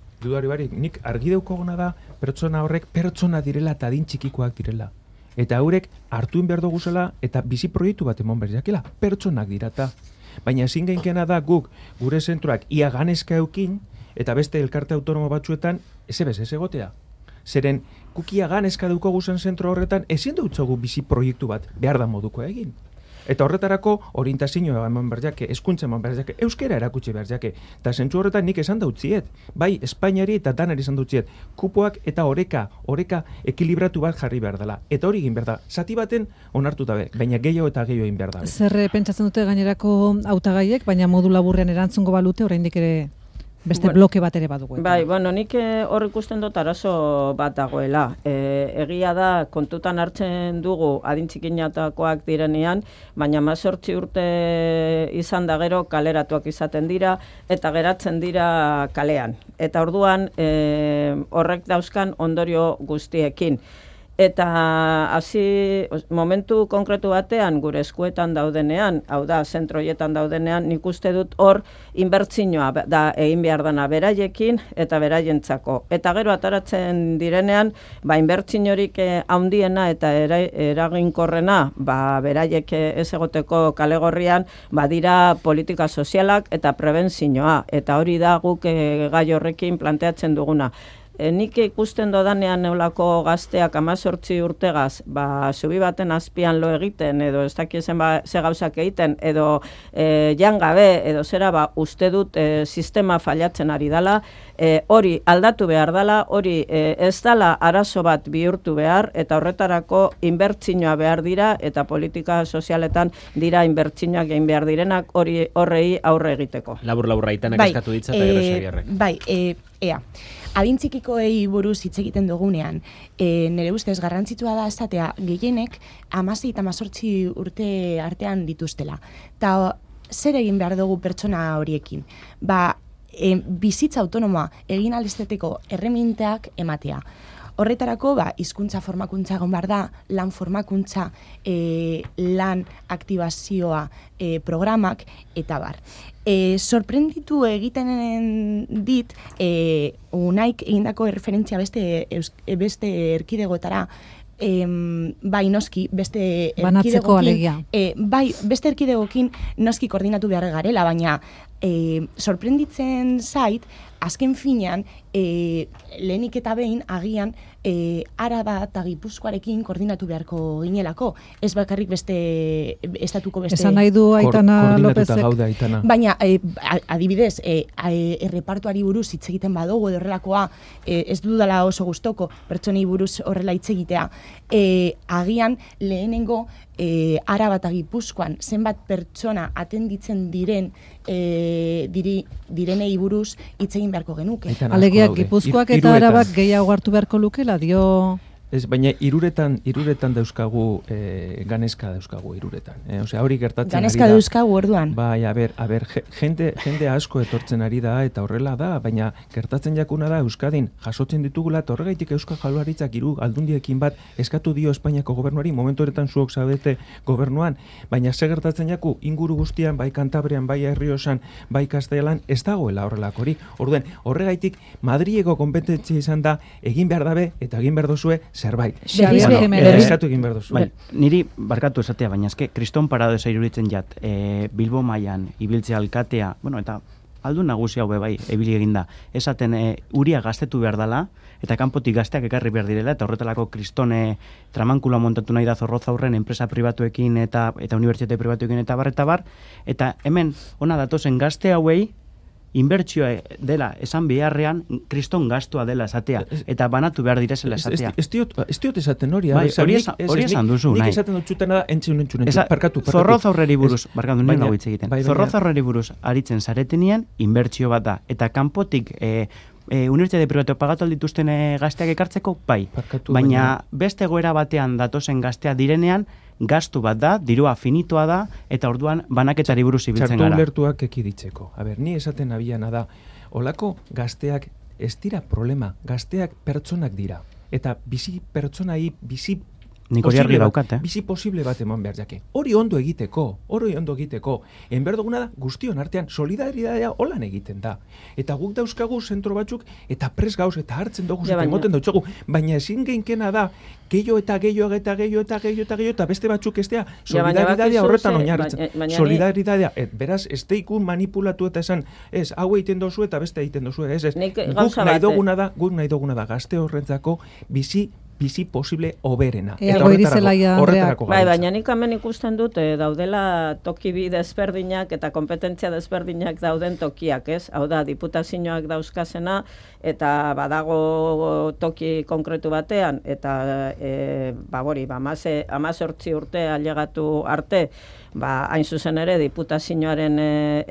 Nik argi daukaguna da pertsona horrek pertsona direla eta adin txikikoak direla. Eta haurek hartuin behar duguzela eta bizi proiektu bat emon berdiakela, pertsonak dirata. Baina ezin gainkena da guk gure zentroak ia ganezka eukin eta beste elkarte autonomo batzuetan ez egotea. Zeren, kukia ganezka daukagu zen zentro horretan, ezin dutzogu bizi proiektu bat behar da moduko egin. Eta horretarako orientazioa eman behar jake, hezkuntza eman behar jake, euskera erakutsi behar jake. Eta zentzu horretan nik esan dautziet, bai Espainiari eta danari esan dautziet, kupoak eta oreka ekilibratu bat jarri behar dela. Eta hori egin behar da, zati baten onartu dabe, baina gehiago eta gehiago egin behar da. Zer pentsatzen dute gainerako hautagaiek, baina modu laburrean erantzungo balute, oraindik ere beste bloke bat ere badugu. Bai, nik hor ikusten dut arazo bat dagoela. Egia da, kontutan hartzen dugu adintzikinatakoak direnean, baina 18 urte izan da gero kaleratuak izaten dira, eta geratzen dira kalean. Eta orduan horrek dauzkan ondorio guztiekin. Eta hasi momentu konkretu batean gure eskuetan daudenean, hau da, zentroietan daudenean, nik uste dut hor inbertsioa da egin behar dana beraiekin eta beraientzako. Eta gero ataratzen direnean, inbertsiorik handiena eta eraginkorrena, beraiek ez egoteko kalegorrian, dira politika sozialak eta prebentzioa. Eta hori da guk gai horrekin planteatzen duguna. Nik ikusten dodanean neulako gazteak 18 urtegaz, zubi baten azpian lo egiten, edo ez dakiezen ze gauzak egiten, edo jangabe, edo zera, uste dut sistema fallatzen ari dala, hori aldatu behar dala, hori ez dala arazo bat bihurtu behar, eta horretarako inbertsioa behar dira, eta politika sozialetan dira inbertsioak egin behar direnak, horrei aurre egiteko. Labur-laburra itanak eskatu ditza eta gero Xabierrek. Bai, ea. Adintzikikoei buruz hitz egiten dugunean, nire ustez garrantzitsua da esatea gehienek 16 eta 18 urte artean dituztela. Eta zer egin behar dugu pertsona horiekin? Bizitza autonomoa egin alisteteko erreminteak ematea. Horretarako, hizkuntza formakuntza egon behar da, lan formakuntza, lan aktibazioa programak, eta bar. Sorprenditu egiten dit, unaik egindako referentzia beste erkidegotara, noski, beste banatzeko alegia. Beste erkidegokin noski koordinatu behar garela, baina sorprenditzen zait, azken finean, lehenik eta behin agian Araba eta Gipuzkoarekin koordinatu beharko ginelako. Ez bakarrik beste, estatuko beste... Esan nahi du Aitana Lopezek. Baina, adibidez, errepartuari buruz hitz egiten badugu edo horrelakoa, ez dudala oso gustoko pertsonei buruz horrela hitz egitea. Agian lehenengo Araba eta Gipuzkoan zenbat pertsona atenditzen direnei buruz hitz egin beharko genuke. Alegia, Gipuzkoak eta Arabak gehiago hartu beharko lukela, dio... Ez, baina iruretan dauzkagu, ganezka dauzkagu iruretan. Osea, hori gertatzen ganezka ari da. Ganezka dauzkagu orduan. Bai, a ber, jende asko etortzen ari da, eta horrela da, baina gertatzen jakuna da Euskadin jasotzen ditugula, eta horregaitik Euskal Jaurlaritzak hiru aldundiekin bat eskatu dio Espainiako gobernuari, momentu horretan zuok zabete gobernuan, baina ze gertatzen jaku inguru guztian, bai Kantabrian, bai Errioxan, bai Kastelan, ez dagoela horrelakorik. Orduan, horregaitik Madrileko konpetentzia izan da, egin behar dabe, eta egin behar dozue, zerbait. Eskatu egin behar duzu. Niri barkatu esatea, baina eske kriston paradoxa iruditzen jat, Bilbo mailan ibiltzea alkatea, eta aldun nagusi hau bai ebili eginda, esaten uria gaztetu behar dela, eta kanpotik gazteak ekarri behar direla, eta horretalako kristone tramankula montatu nahi da Zorroza aurren enpresa pribatuekin eta unibertsitate pribatuekin eta bar, eta hemen ona datozen gazte hauei inbertsioa dela esan beharrean kriston gastua dela esatea, eta banatu behar direzela esatea. Ez diot esaten hori. Hori esan duzu, nahi. Nik esaten dut txutena da, entzun. Parkatu. Zorroza aurreri buruz, barkatu, nire nago hitz egiten. Zorroza aurreri buruz aritzen zaretenean, inbertsio bat da. Eta kanpotik unibertsitate pribatu pagatu aldituzten gazteak ekartzeko, bai. Baina beste goera batean datozen gaztea direnean, gastu bat da, dirua finitoa da, eta orduan banaketari buruz ibiltzen gara. Txartu ulertuak ekiditzeko. Ni esaten abiana da, olako gazteak ez dira problema, gazteak pertsonak dira. Eta bizi pertsonai, bizi Nik hori argi daukat, bizi posible bat eman behar jake. Hori ondo egiteko. Enber duguna da, guztion artean, solidaridadea holan egiten da. Eta guk dauzkagu zentro batzuk, eta pres gauz, eta hartzen dugu, eta emoten dautxogu. Baina ezin geinkena da, gehiago eta beste batzuk estea, solidaridadea horretan oinarritzen. Solidaridadea, beraz, ez deikun manipulatu eta esan, ez, hau egiten dozu eta beste egiten dozu, ez. Guk nahi duguna da, gazte horrentzako bizi posible oberena. Eta horretarako gaitza. Baina nik hemen ikusten dut, daudela toki bi desberdinak eta kompetentzia desberdinak dauden tokiak, ez? Hau da, diputazioak dauzkazena, eta badago toki konkretu batean, eta 18 urte ailegatu arte, hain zuzen ere diputazioaren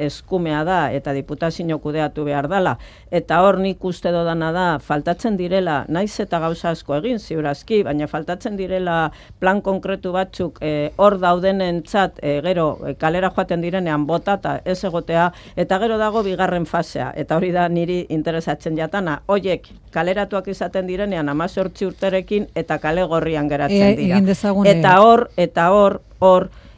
eskumea da, eta diputazio kudeatu behar dela, eta hor nik uste dodana da, faltatzen direla, naiz eta gauza asko egin, ziurazki, baina faltatzen direla plan konkretu batzuk hor daudenentzat, gero kalera joaten direnean botata ez egotea, eta gero dago bigarren fasea, eta hori da niri interesatzen jatana, hoiek kaleratuak izaten direnean 18 urterekin eta kale gorrian geratzen dira. Eta hor,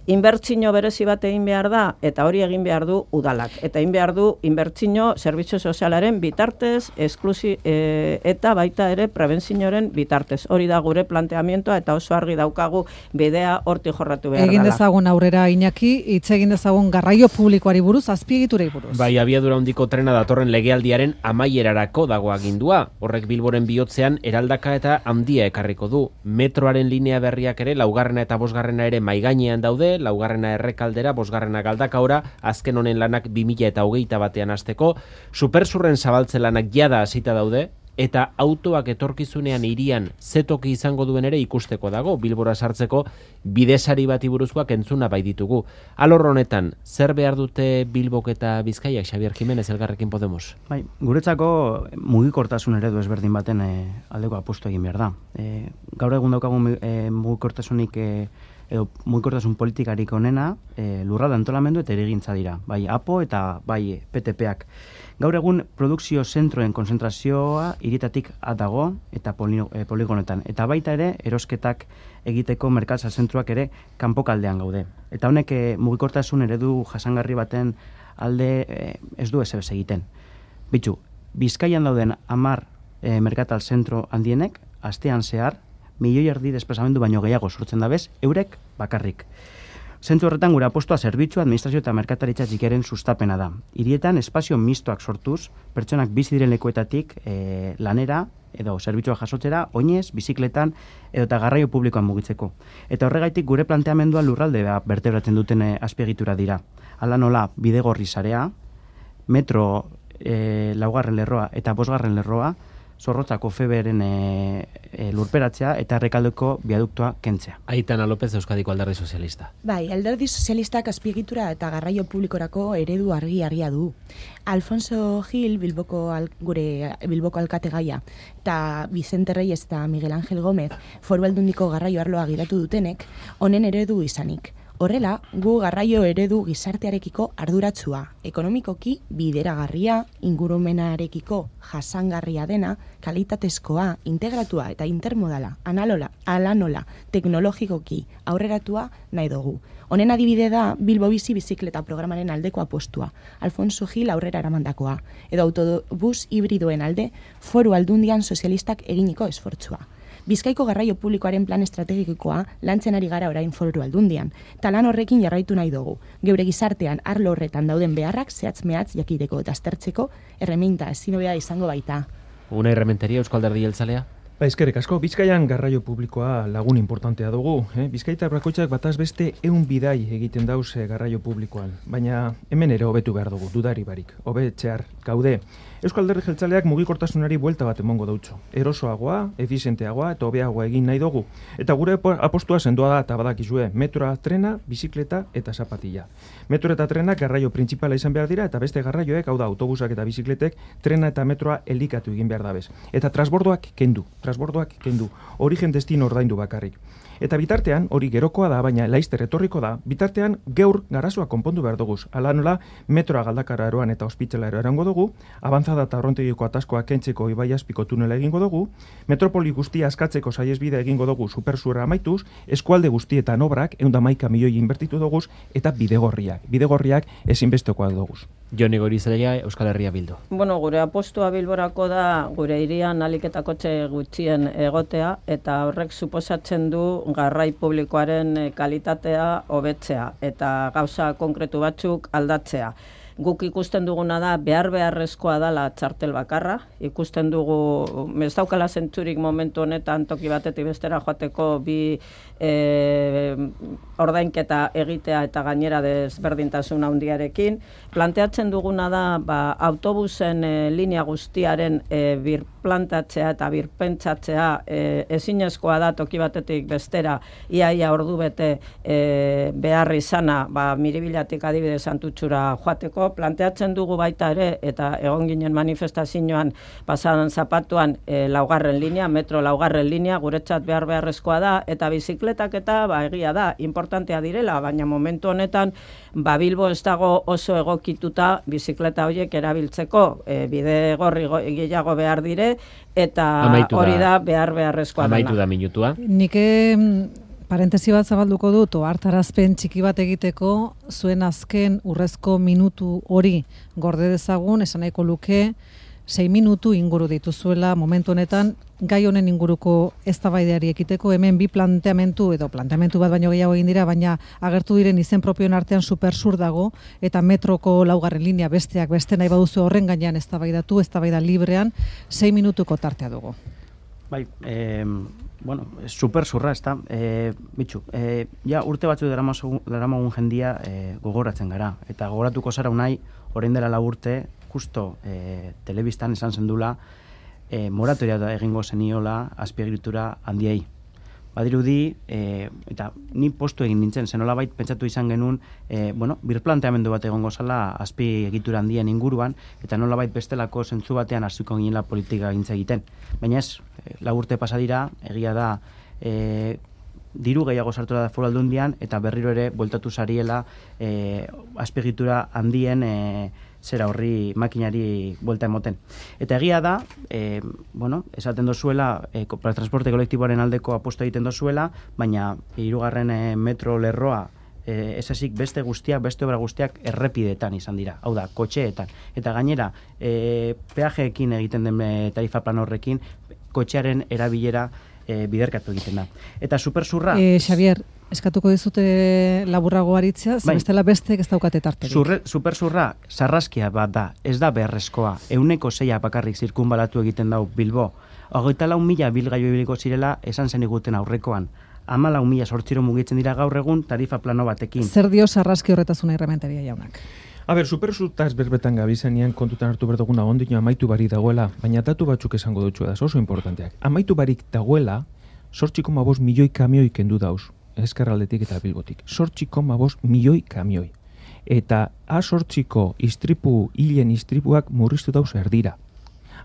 inbertsio berezi bat egin behar da, eta hori egin behar du udalak. Eta egin behar du inbertsio zerbitzu sozialaren bitartez, eta baita ere prebentzioaren bitartez. Hori da gure planteamientoa, eta oso argi daukagu bidea horti jorratu behar dela. Egin dezagun aurrera, Iñaki, hitz egin dezagun garraio publikoari buruz, azpiegiturei buruz. Bai, abiadura handiko trena datorren legealdiaren amaierarako dago agindua. Horrek Bilboren bihotzean eraldaka eta handia ekarriko du. Metroaren linea berriak ere, 4. eta 5. ere maigainean daude, 4. errekaldera, 5. galdakaora, azken honen lanak 2021 batean hasteko, supersurren zabaltze lanak jada hasita daude, eta autoak etorkizunean hirian zetoki izango duen ere ikusteko dago, Bilbora sartzeko bidesari bati buruzkoak entzuna bai ditugu. Alor honetan, zer behar dute Bilbok eta Bizkaiak, Xabier Jimenez, Elkarrekin Podemos? Bai, guretzako mugikortasun eredu ezberdin baten aldeko apustu egin behar da. Gaur egun daukagu mugikortasunik edo mugikortasun politikarik onena lurralde antolamendu eta erigintza dira, bai APO eta bai PTPak. Gaur egun produkzio zentroen konzentrazioa hiritatik dago eta poligonetan, eta baita ere erosketak egiteko merkatza zentroak ere kanpokaldean gaude. Eta honek mugikortasun eredu jasangarri baten alde ez du ezebez egiten. Bitxu, Bizkaian dauden 10 merkatal zentro handienek astean zehar 1,5 milioi desplazamendu baino gehiago sortzen dabez, eurek bakarrik. Zentzu horretan gure apostua zerbitzu, administrazio eta merkataritza txikiaren sustapena da. Hirietan espazio mistoak sortuz, pertsonak bizi diren lekuetatik lanera edo zerbitzua jasotzera, oinez, bizikletan edo eta garraio publikoan mugitzeko. Eta horregaitik gure planteamendua lurralde bertebratzen duten azpiegitura dira. Hala nola, bidegorri sarea, metro 4. lerroa eta 5. lerroa, Zorrotzako Feberen lurperatzea eta Errekaldeko biaduktoa kentzea. Aitana López, Euskadiko Alderdi Sozialista. Bai, Alderdi Sozialistak azpiegitura eta garraio publikorako eredu argia du. Alfonso Gil, gure Bilboko alkate gaia, eta Vicente Reyes eta Miguel Ángel Gómez, Foru Aldundiko garraio arloa giratu dutenek, honen eredu izanik. Horrela, gu garraio eredu gizartearekiko arduratsua, ekonomikoki bideragarria, ingurumenarekiko jasangarria dena, kalitatezkoa, integratua eta intermodala, ala nola, teknologikoki aurreratua nahi dugu. Honen adibide da Bilbo bizi bizikleta programaren aldeko apostua, Alfonso Gil aurrera eramandakoa, edo autobus hibridoen alde Foru Aldundian sozialistak eginiko esfortzua. Bizkaiko garraio publikoaren plan estrategikoa lantzen ari gara orain Foru Aldundian, eta lan horrekin jarraitu nahi dugu. Geure gizartean arlo horretan dauden beharrak zehatz-mehatz jakiteko eta aztertzeko erreminta ezin hobea izango baita. Una errementeria Euskal Alderdi Jeltzalea? Eskerrik asko, Bizkaian garraio publikoa lagun importantea dugu. Bizkaitar bakoitzak bataz beste 100 bidai egiten dauz garraio publikoan. Baina hemen ere hobetu behar dugu, dudari barik. Hobetxear gaude. Euskal Alderdi Jeltzaleak mugikortasunari buelta bat emongo dautxo. Erosoagoa, efizienteagoa eta hobeagoa egin nahi dugu. Eta gure apostua sendoa da eta badakizue, metroa, trena, bizikleta eta zapatilla. Metro eta trena garraio printzipala izan behar dira eta beste garraioek, hau da autobusak eta bizikletek, trena eta metroa elikatu egin behar dabez. Eta transbordoak kendu. transbordoak kendu, origen destino ordaindu bakarrik. Eta bitartean, hori gerokoa da, baina laister etorriko da, bitartean gaur garazoa konpondu behar duguz. Hala nola, metroa Galdakara eroan eta Ospitzela erango dugu, avanzada eta Arrontegiko ataskoa kentzeko Ibai Azpiko tunela egingo dugu, metropoli guztia askatzeko saihesbidea egingo dugu supersura amaituz, eskualde guztietan obrak, 111 milioi inbertitu duguz, eta bidegorriak ezinbestekoak duguz. Jone Goirizelaia, Euskal Herria Bildu. Bueno, gure apostua Bilborako da gure hirian ahalik eta kotxe gutxien egotea, eta horrek suposatzen du garrai publikoaren kalitatea hobetzea eta gauza konkretu batzuk aldatzea. Guk ikusten duguna da beharrezkoa dela txartel bakarra, ikusten dugu ez daukala zentzurik momentu honetan toki batetik bestera joateko bi ordainketa egitea eta gainera desberdintasun handiarekin. Planteatzen duguna da autobusen linea guztiaren birplantatzea eta birpentsatzea ezinezkoa da toki batetik bestera iaia ordu bete behar izana Miribilatik adibidez Santutxura joateko. Planteatzen dugu baita ere, eta egon ginen manifestazioan pasadan zapatuan laugarren linea, metro laugarren linea, guretzat beharrezkoa da, eta bizikletak eta egia da, importantea direla, baina momentu honetan Bilbo ez dago oso egokituta bizikleta horiek erabiltzeko, bide gorri gehiago behar dire, eta hori da beharrezkoa dana. Amaitu da minutua. Nik parentesi bat zabalduko dut, hartarazpen txiki bat egiteko, zuen azken urrezko minutu hori gorde dezagun, esan nahiko luke, 6 minutu inguru dituzuela momentu honetan, gai honen inguruko eztabaideari ekiteko, hemen bi planteamentu bat baino gehiago egin dira, baina agertu diren izen propioen artean supersur dago, eta metroko laugarren linea besteak beste nahi baduzu horren gainean eztabaida librean, 6 minutuko tartea dugu. Bai, supersurra, ez da, bitxu, ja urte batzu daramagun jendia gogoratzen gara, eta gogoratuko zara unai, orain dela 4 urte, justo telebistan esan zendula, moratoria egingo zeniola azpiegitura handiei. Badirudi, eta ni postu egin nintzen, zenolabait pentsatu izan genuen, birplanteamendu bat egongo zala azpiegitura handien inguruan, eta nolabait bestelako zentzu batean hasiko ginela politika gintza egiten. Baina ez, 4 urte pasa dira, egia da, diru gehiago sartu da Foru Aldundian, eta berriro ere bueltatu zariela azpiegitura handien zera horri makinari buelta emoten. Eta egia da, esaten dozuela, transporte kolektiboaren aldeko aposto egiten dozuela, baina 3. metro lerroa esasik beste obra guztiak errepidetan izan dira, hau da, kotxeetan. Eta gainera, peajeekin egiten den tarifa plan horrekin, kotxearen erabilera biderkatu egiten da. Eta supersurra... Xavier, eskatuko dizute laburrago aritzea, bestela bestek ez daukate tarterik. Supersurra sarraskia bat da, ez da beharrezkoa. 6% bakarrik zirkunbalatu egiten dau Bilbo. 24.000 bilgailu ibiliko zirela esan zen iguten aurrekoan. 14.000 mugitzen dira gaur egun tarifa plano batekin. Zer dio sarraski horretazuna Irrementeria jaunak? Supersurtaz berbetan gabizenean kontutan hartu berduguna ondino amaitu barik dagoela, baina datu batzuk esango dutxu da, oso importanteak. Amaitu barik dagoela, 8,5 milioi kamioi kendu dauz, Ezkerraldetik eta Bilbotik. 8,5 milioi kamioi. Eta A8ko hilen istripuak murriztu dauz erdira.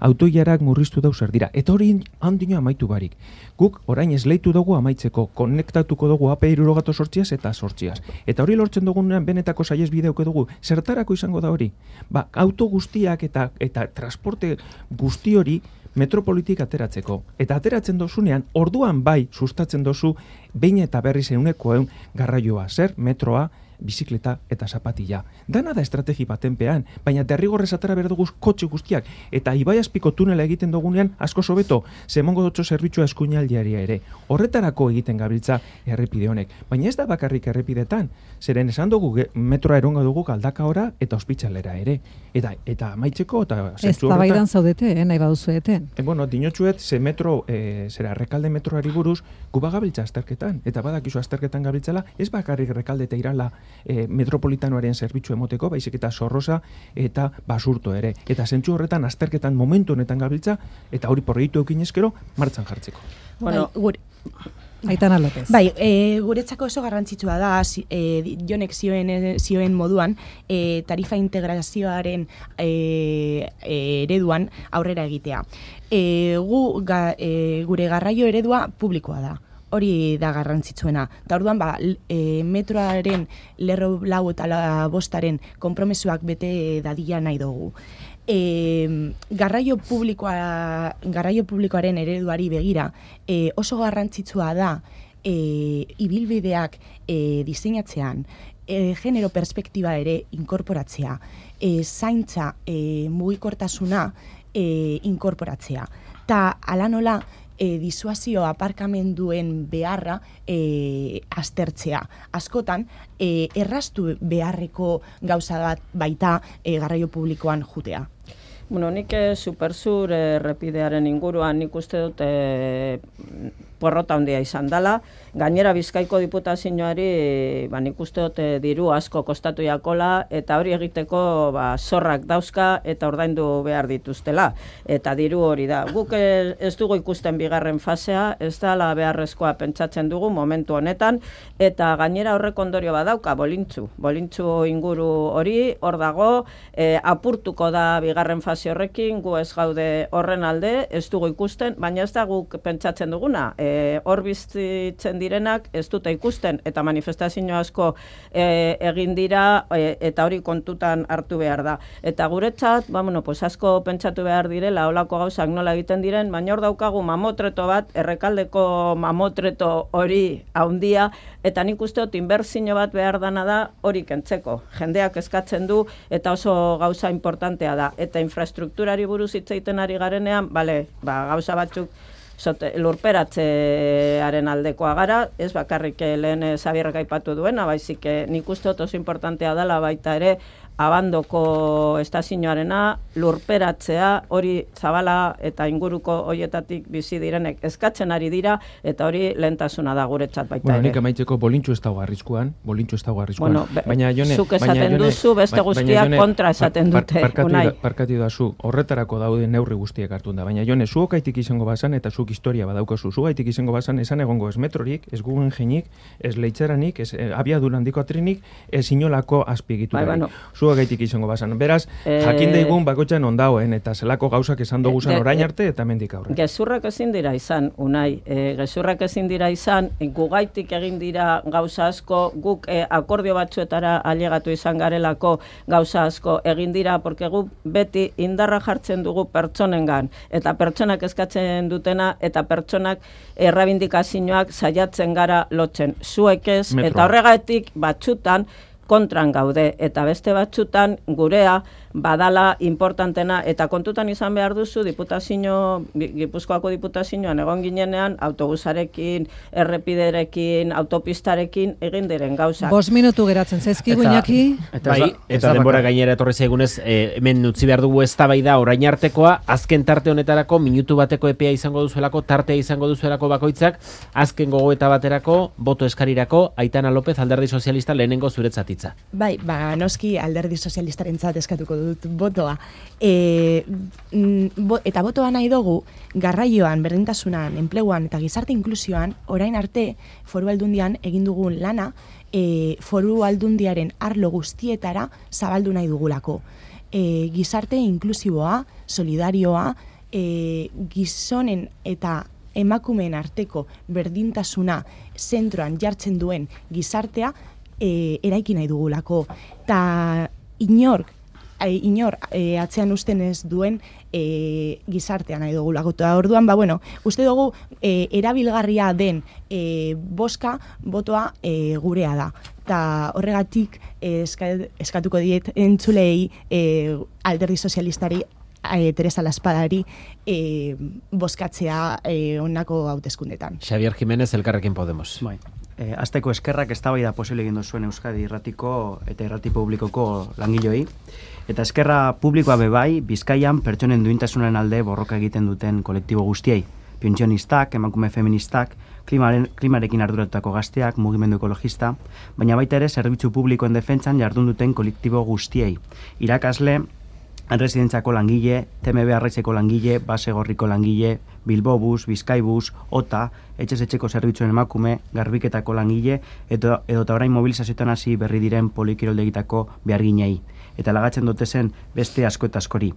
Autoiarak murriztu dauz erdira. Eta hori handino amaitu barik. Guk orain esleitu dugu amaitzeko, konektatuko dugu AP68 eta 8. Eta hori lortzen dugunean benetako saihesbideuko dugu. Zertarako izango da hori? Auto guztiak eta transporte guzti hori metropolitik ateratzeko. Eta ateratzen dozunean, orduan bai sustatzen dozu, behin eta berriz 100% garraioa. Zer? Metroa, bizikleta eta zapatilla. Dana da estrategi batenpean, baina derrigorrez atara behar dugu kotxe guztiak, eta Ibai Azpiko tunela egiten dugunean asko sobeto, zemongo dutxo zerbitzua eskuinaldiaria ere. Horretarako egiten gabiltza errepide honek. Baina ez da bakarrik errepidetan, zeren esan dugu metroa eronga dugu Galdakaora eta Ospitzalera ere. Eta amaitzeko eta zentzu horretan... Ez tabaidan zaudete, nahi baduzueten. Dinotxuet, ze metro, Rekalde metroari buruz, guba gabiltza azterketan, eta badakizu azterketan gabiltzala, ez bakarrik Rekalde eta Irala metropolitanoaren zerbitzu emoteko, baizik eta Zorroza eta Basurto ere. Eta zentzu horretan azterketan momentu honetan gabiltza, eta hori proiektu eukin ezkero, martxan jartzeko. Aitana López. Bai, guretzako oso garrantzitsua da, Jonek zioen moduan, tarifa integrazioaren ereduan aurrera egitea. Gure garraio eredua publikoa da. Hori da garrantzitsuena. Eta orduan, metroaren lerro 4 eta 5 konpromesuak bete dadila nahi dugu. Garraio publikoaren ereduari begira, oso garrantzitsua da ibilbideak diseinatzean, genero perspektiba ere inkorporatzea, zaintza mugikortasuna inkorporatzea. Ta ala nola, disuazio aparkamenduen beharra aztertzea. Askotan, erraztu beharreko gauza bat baita garraio publikoan jutea. Bueno, nik Supersur errepidearen inguruan nik uste dut porrota handia izan dela. Gainera Bizkaiko Diputazioari nik uste dut diru asko kostatu jakola eta hori egiteko zorrak dauzka eta ordaindu behar dituztela. Eta diru hori da. Guk ez dugu ikusten bigarren fasea, ez dela beharrezkoa pentsatzen dugu momentu honetan eta gainera horrek ondorio badauka bolintzu inguru hori hor dago, apurtuko da bigarren fase horrekin, gu ez gaude horren alde, ez dugu ikusten, baina ez da guk pentsatzen duguna. Hor bizitzen direnak ez dute ikusten eta manifestazio asko egin dira eta hori kontutan hartu behar da. Eta guretzat, asko pentsatu behar direla holako gauzak nola egiten diren, baina hor daukagu mamotreto bat, Errekaldeko mamotreto hori haundia, eta nik uste dut inbertsio bat behar dana da hori kentzeko. Jendeak eskatzen du eta oso gauza importantea da. Eta infrastrukturari buruz hitz egiten ari garenean, gauza batzuk lurperatzearen aldekoa gara, ez bakarrik lehen Xabierrek aipatu duena, baizik nik uste dut oso importantea dela baita ere Abandoko estazioarena lurperatzea, hori Zabala eta inguruko hoietatik bizi direnek eskatzen ari dira eta hori lehentasuna da guretzat baita ere. Nik amaitzeko bolintxu ez dago arriskuan. Baina Jone, zuk esaten duzu, beste guztiak kontra esaten dute. Parkatu da zu, horretarako daude neurri guztiek hartu da. Baina Jone, zu okaitik izango bazan eta zuk historia badaukazu. Zu gaitik izango bazan esan egongo ez metrorik, ez Guggenheinik, ez Leitzaranik, ez abiadura handiko atrinik, ez inolako azpiegiturarik. Gaitik izango bazan. Beraz, jakin daigun bakoitzan ondauen eta zelako gauzak esan dugu zan orain arte eta mendik aurre. Gezurrak ezin dira izan, Unai. Gezurrak ezin dira izan, gugaitik egin dira gauza asko, guk akordio batzuetara ailegatu izan garelako gauza asko egin dira, porque guk beti indarra jartzen dugu pertsonengan, eta pertsonak eskatzen dutena, eta pertsonak errabindikazioak saiatzen gara lotzen. Zuek ez, eta horregatik batzutan, kontran gaude, eta beste batzutan gurea badala importantena, eta kontutan izan behar duzu Gipuzkoako Diputazioan egon ginenean autobusarekin, errepiderekin, autopistarekin egin diren gauzak. 5 minutu geratzen zaizkigu Iñaki. Eta denbora gainera etorri zaigunez, hemen utzi behar dugu eztabaida orain artekoa, azken tarte honetarako minutu bateko epea izango duzuelako, tartea izango duzuelako bakoitzak, azken gogoeta baterako, boto eskarirako, Aitana López, Alderdi Sozialista lehenengo zuretzatitza. Bai, noski Alderdi Sozialistarentzat eskatuko dut botoa. Eta botoa nahi dugu, garraioan, berdintasunan, enpleguan eta gizarte inklusioan, orain arte Foru Aldundian egin dugun lana, Foru Aldundiaren arlo guztietara zabaldu nahi dugulako. Gizarte inklusiboa, solidarioa, gizonen eta emakumeen arteko berdintasuna zentroan jartzen duen gizartea eraiki nahi dugulako. Ta inor atzean usten ez duen gizartea nahi dugulako. Eta orduan, uste dugu erabilgarria den boska botoa gurea da. Eta horregatik eskatuko diet entzulei Alderdi Sozialistari Teresa Laspadari bozkatzea honako hauteskundetan. Xabier Jiménez, Elkarrekin Podemos. Bai. Azteko eskerrak eztabaida posible egin duzuen Euskadi irratiko eta irrati publikoko langiloi. Eta eskerra publikoa bebai, Bizkaian pertsonen duintasunaren alde borroka egiten duten kolektibo guztiei. Pentsionistak, emakume feministak, klimarekin arduratutako gazteak, mugimendu ekologista, baina baita ere zerbitzu publikoen defentsan jardun duten kolektibo guztiei. Irakasle, Erresidentziako langile, TMB Arraizeko langile, Basegorriko langile, Bilbobus, Bizkaibus, OTA, etxez-etxeko zerbitzuen emakume, Garbiketako langile, edota orain mobilizazioetan hasi berri diren polikiroldegitako beharginei, eta lagatzen dute zen beste asko eta askori.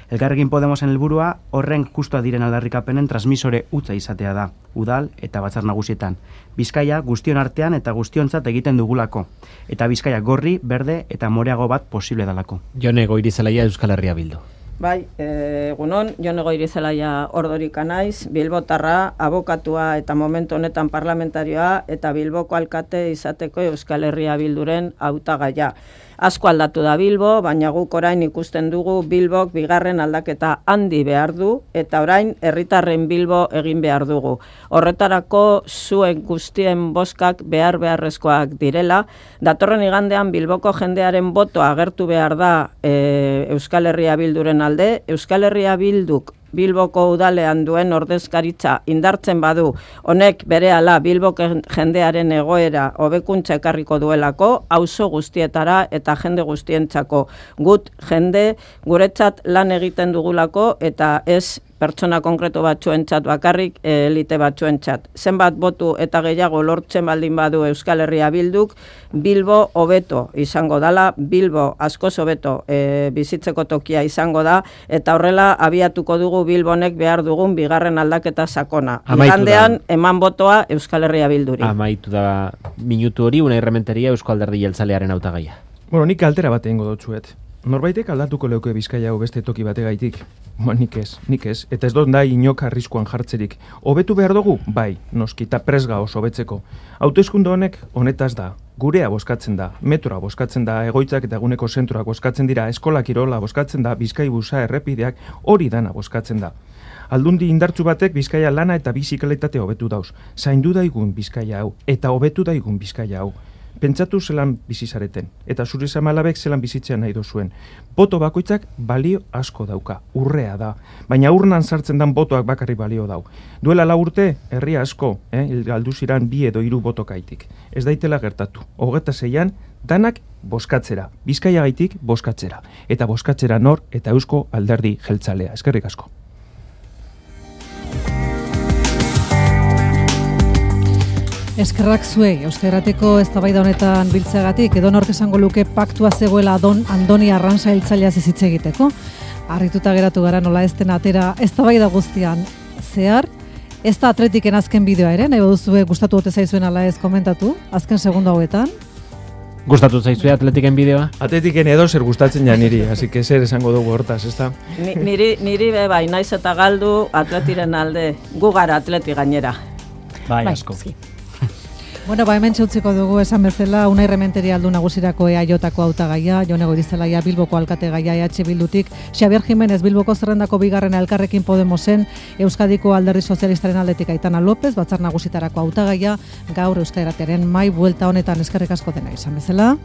Elkarrekin Podemosen helburua horren justua diren aldarrikapenen transmisore hutsa izatea da, udal eta batzar nagusietan. Bizkaia guztion artean eta guztiontzat egiten dugulako, eta Bizkaia gorri, berde eta moreago bat posible dalako. Jone Goirizelaia, Euskal Herria Bildu. Bai, egunon, Jone Goirizelaia Ordorika naiz, Bilbotarra, abokatua eta momentu honetan parlamentarioa eta Bilboko alkate izateko Euskal Herria Bilduren hautagaia. Asko aldatu da Bilbo, baina guk orain ikusten dugu Bilbok bigarren aldaketa handi behar du, eta orain herritarren Bilbo egin behar dugu. Horretarako zuen guztien boskak beharrezkoak direla. Datorren igandean Bilboko jendearen botoa agertu behar da Euskal Herria Bilduren alde. Euskal Herria Bilduk Bilboko udalean duen ordezkaritza indartzen badu, honek berehala Bilboko jendearen egoera hobekuntza ekarriko duelako, auzo guztietara eta jende guztientzako. Gut jende guretzat lan egiten dugulako eta ez pertsona konkretu batzuentzat bakarrik, elite batzuentzat. Zenbat botu eta gehiago lortzen baldin badu Euskal Herria Bilduk, Bilbo hobeto izango dala, Bilbo askoz hobeto bizitzeko tokia izango da, eta horrela abiatuko dugu Bilbonek behar dugun bigarren aldaketa sakona. Igandean eman botoa Euskal Herria Bilduri. Amaitu da minutu hori, Unai Rementeria, Eusko Alderdi Jeltzalearen hautagaia. Bueno, nik altera bat egingo dutzuet. Norbaitek aldatuko leuke Bizkaia hau beste toki bategaitik? Nik ez. Eta ez dut da inok arriskuan jartzerik. Hobetu behar dugu? Bai, noski, eta presga oso hobetzeko. Hauteskunde honek honetaz da. Gurea bozkatzen da, metroa bozkatzen da, egoitzak eta eguneko zentroak bozkatzen dira, eskola kirola bozkatzen da, Bizkaibusa, errepideak, hori dana bozkatzen da. Aldundi indartzu batek Bizkaia lana eta bizikalitate hobetu dauz. Zaindu daigun Bizkaia hau, eta hobetu daigun Bizkaia hau. Pentsatu zelan bizizareten, eta zure zamalabek zelan bizitzean nahi dozuen. Boto bakoitzak balio asko dauka, urrea da, baina urnan sartzen dan botoak bakarri balio dau. Duela 4 urte, herria asko, galdu ziran 2 edo 3 botokaitik. Ez daitela gertatu, 26an, danak bozkatzera, Bizkaia gaitik bozkatzera, eta bozkatzera nor eta Eusko Alderdi Jeltzalea. Eskerrik asko. Eskerrak zuei, Euskarrateko eztabaida honetan biltzeagatik, edo nork esango luke paktua zegoela Andoni Arrantza hiltzaileaz hitz egiteko. Harrituta geratu gara nola ez den atera eztabaida guztian zehar. Ez da Atletiken azken bideoa ere, nahi baduzue gustatu ote zaizuen ala ez komentatu, azken segundo hauetan. Gustatu zaizue Atletiken bideoa? Atletiken edo zer gustatzen ja niri, así que zer esango dugu hortaz, ezta? Niri bai, naiz eta galdu Atletiren alde, gu gara Atleti gainera. Bai, asko. Bueno, hemen txutziko dugu esan bezala, Unai Rementeria aldu nagusirako EAJ-ko hautagaia, Jone Goirizelaia Bilboko alkategaia EH Bildutik, Xabier Jimenez Bilboko zerrendako bigarren Elkarrekin Podemosen, Euskadiko Alderdi Sozialistaren aldetik Aitana López, batzar nagusitarako hautagaia, gaur Euskarrateren mai buelta honetan eskerrik asko dena izan bezala.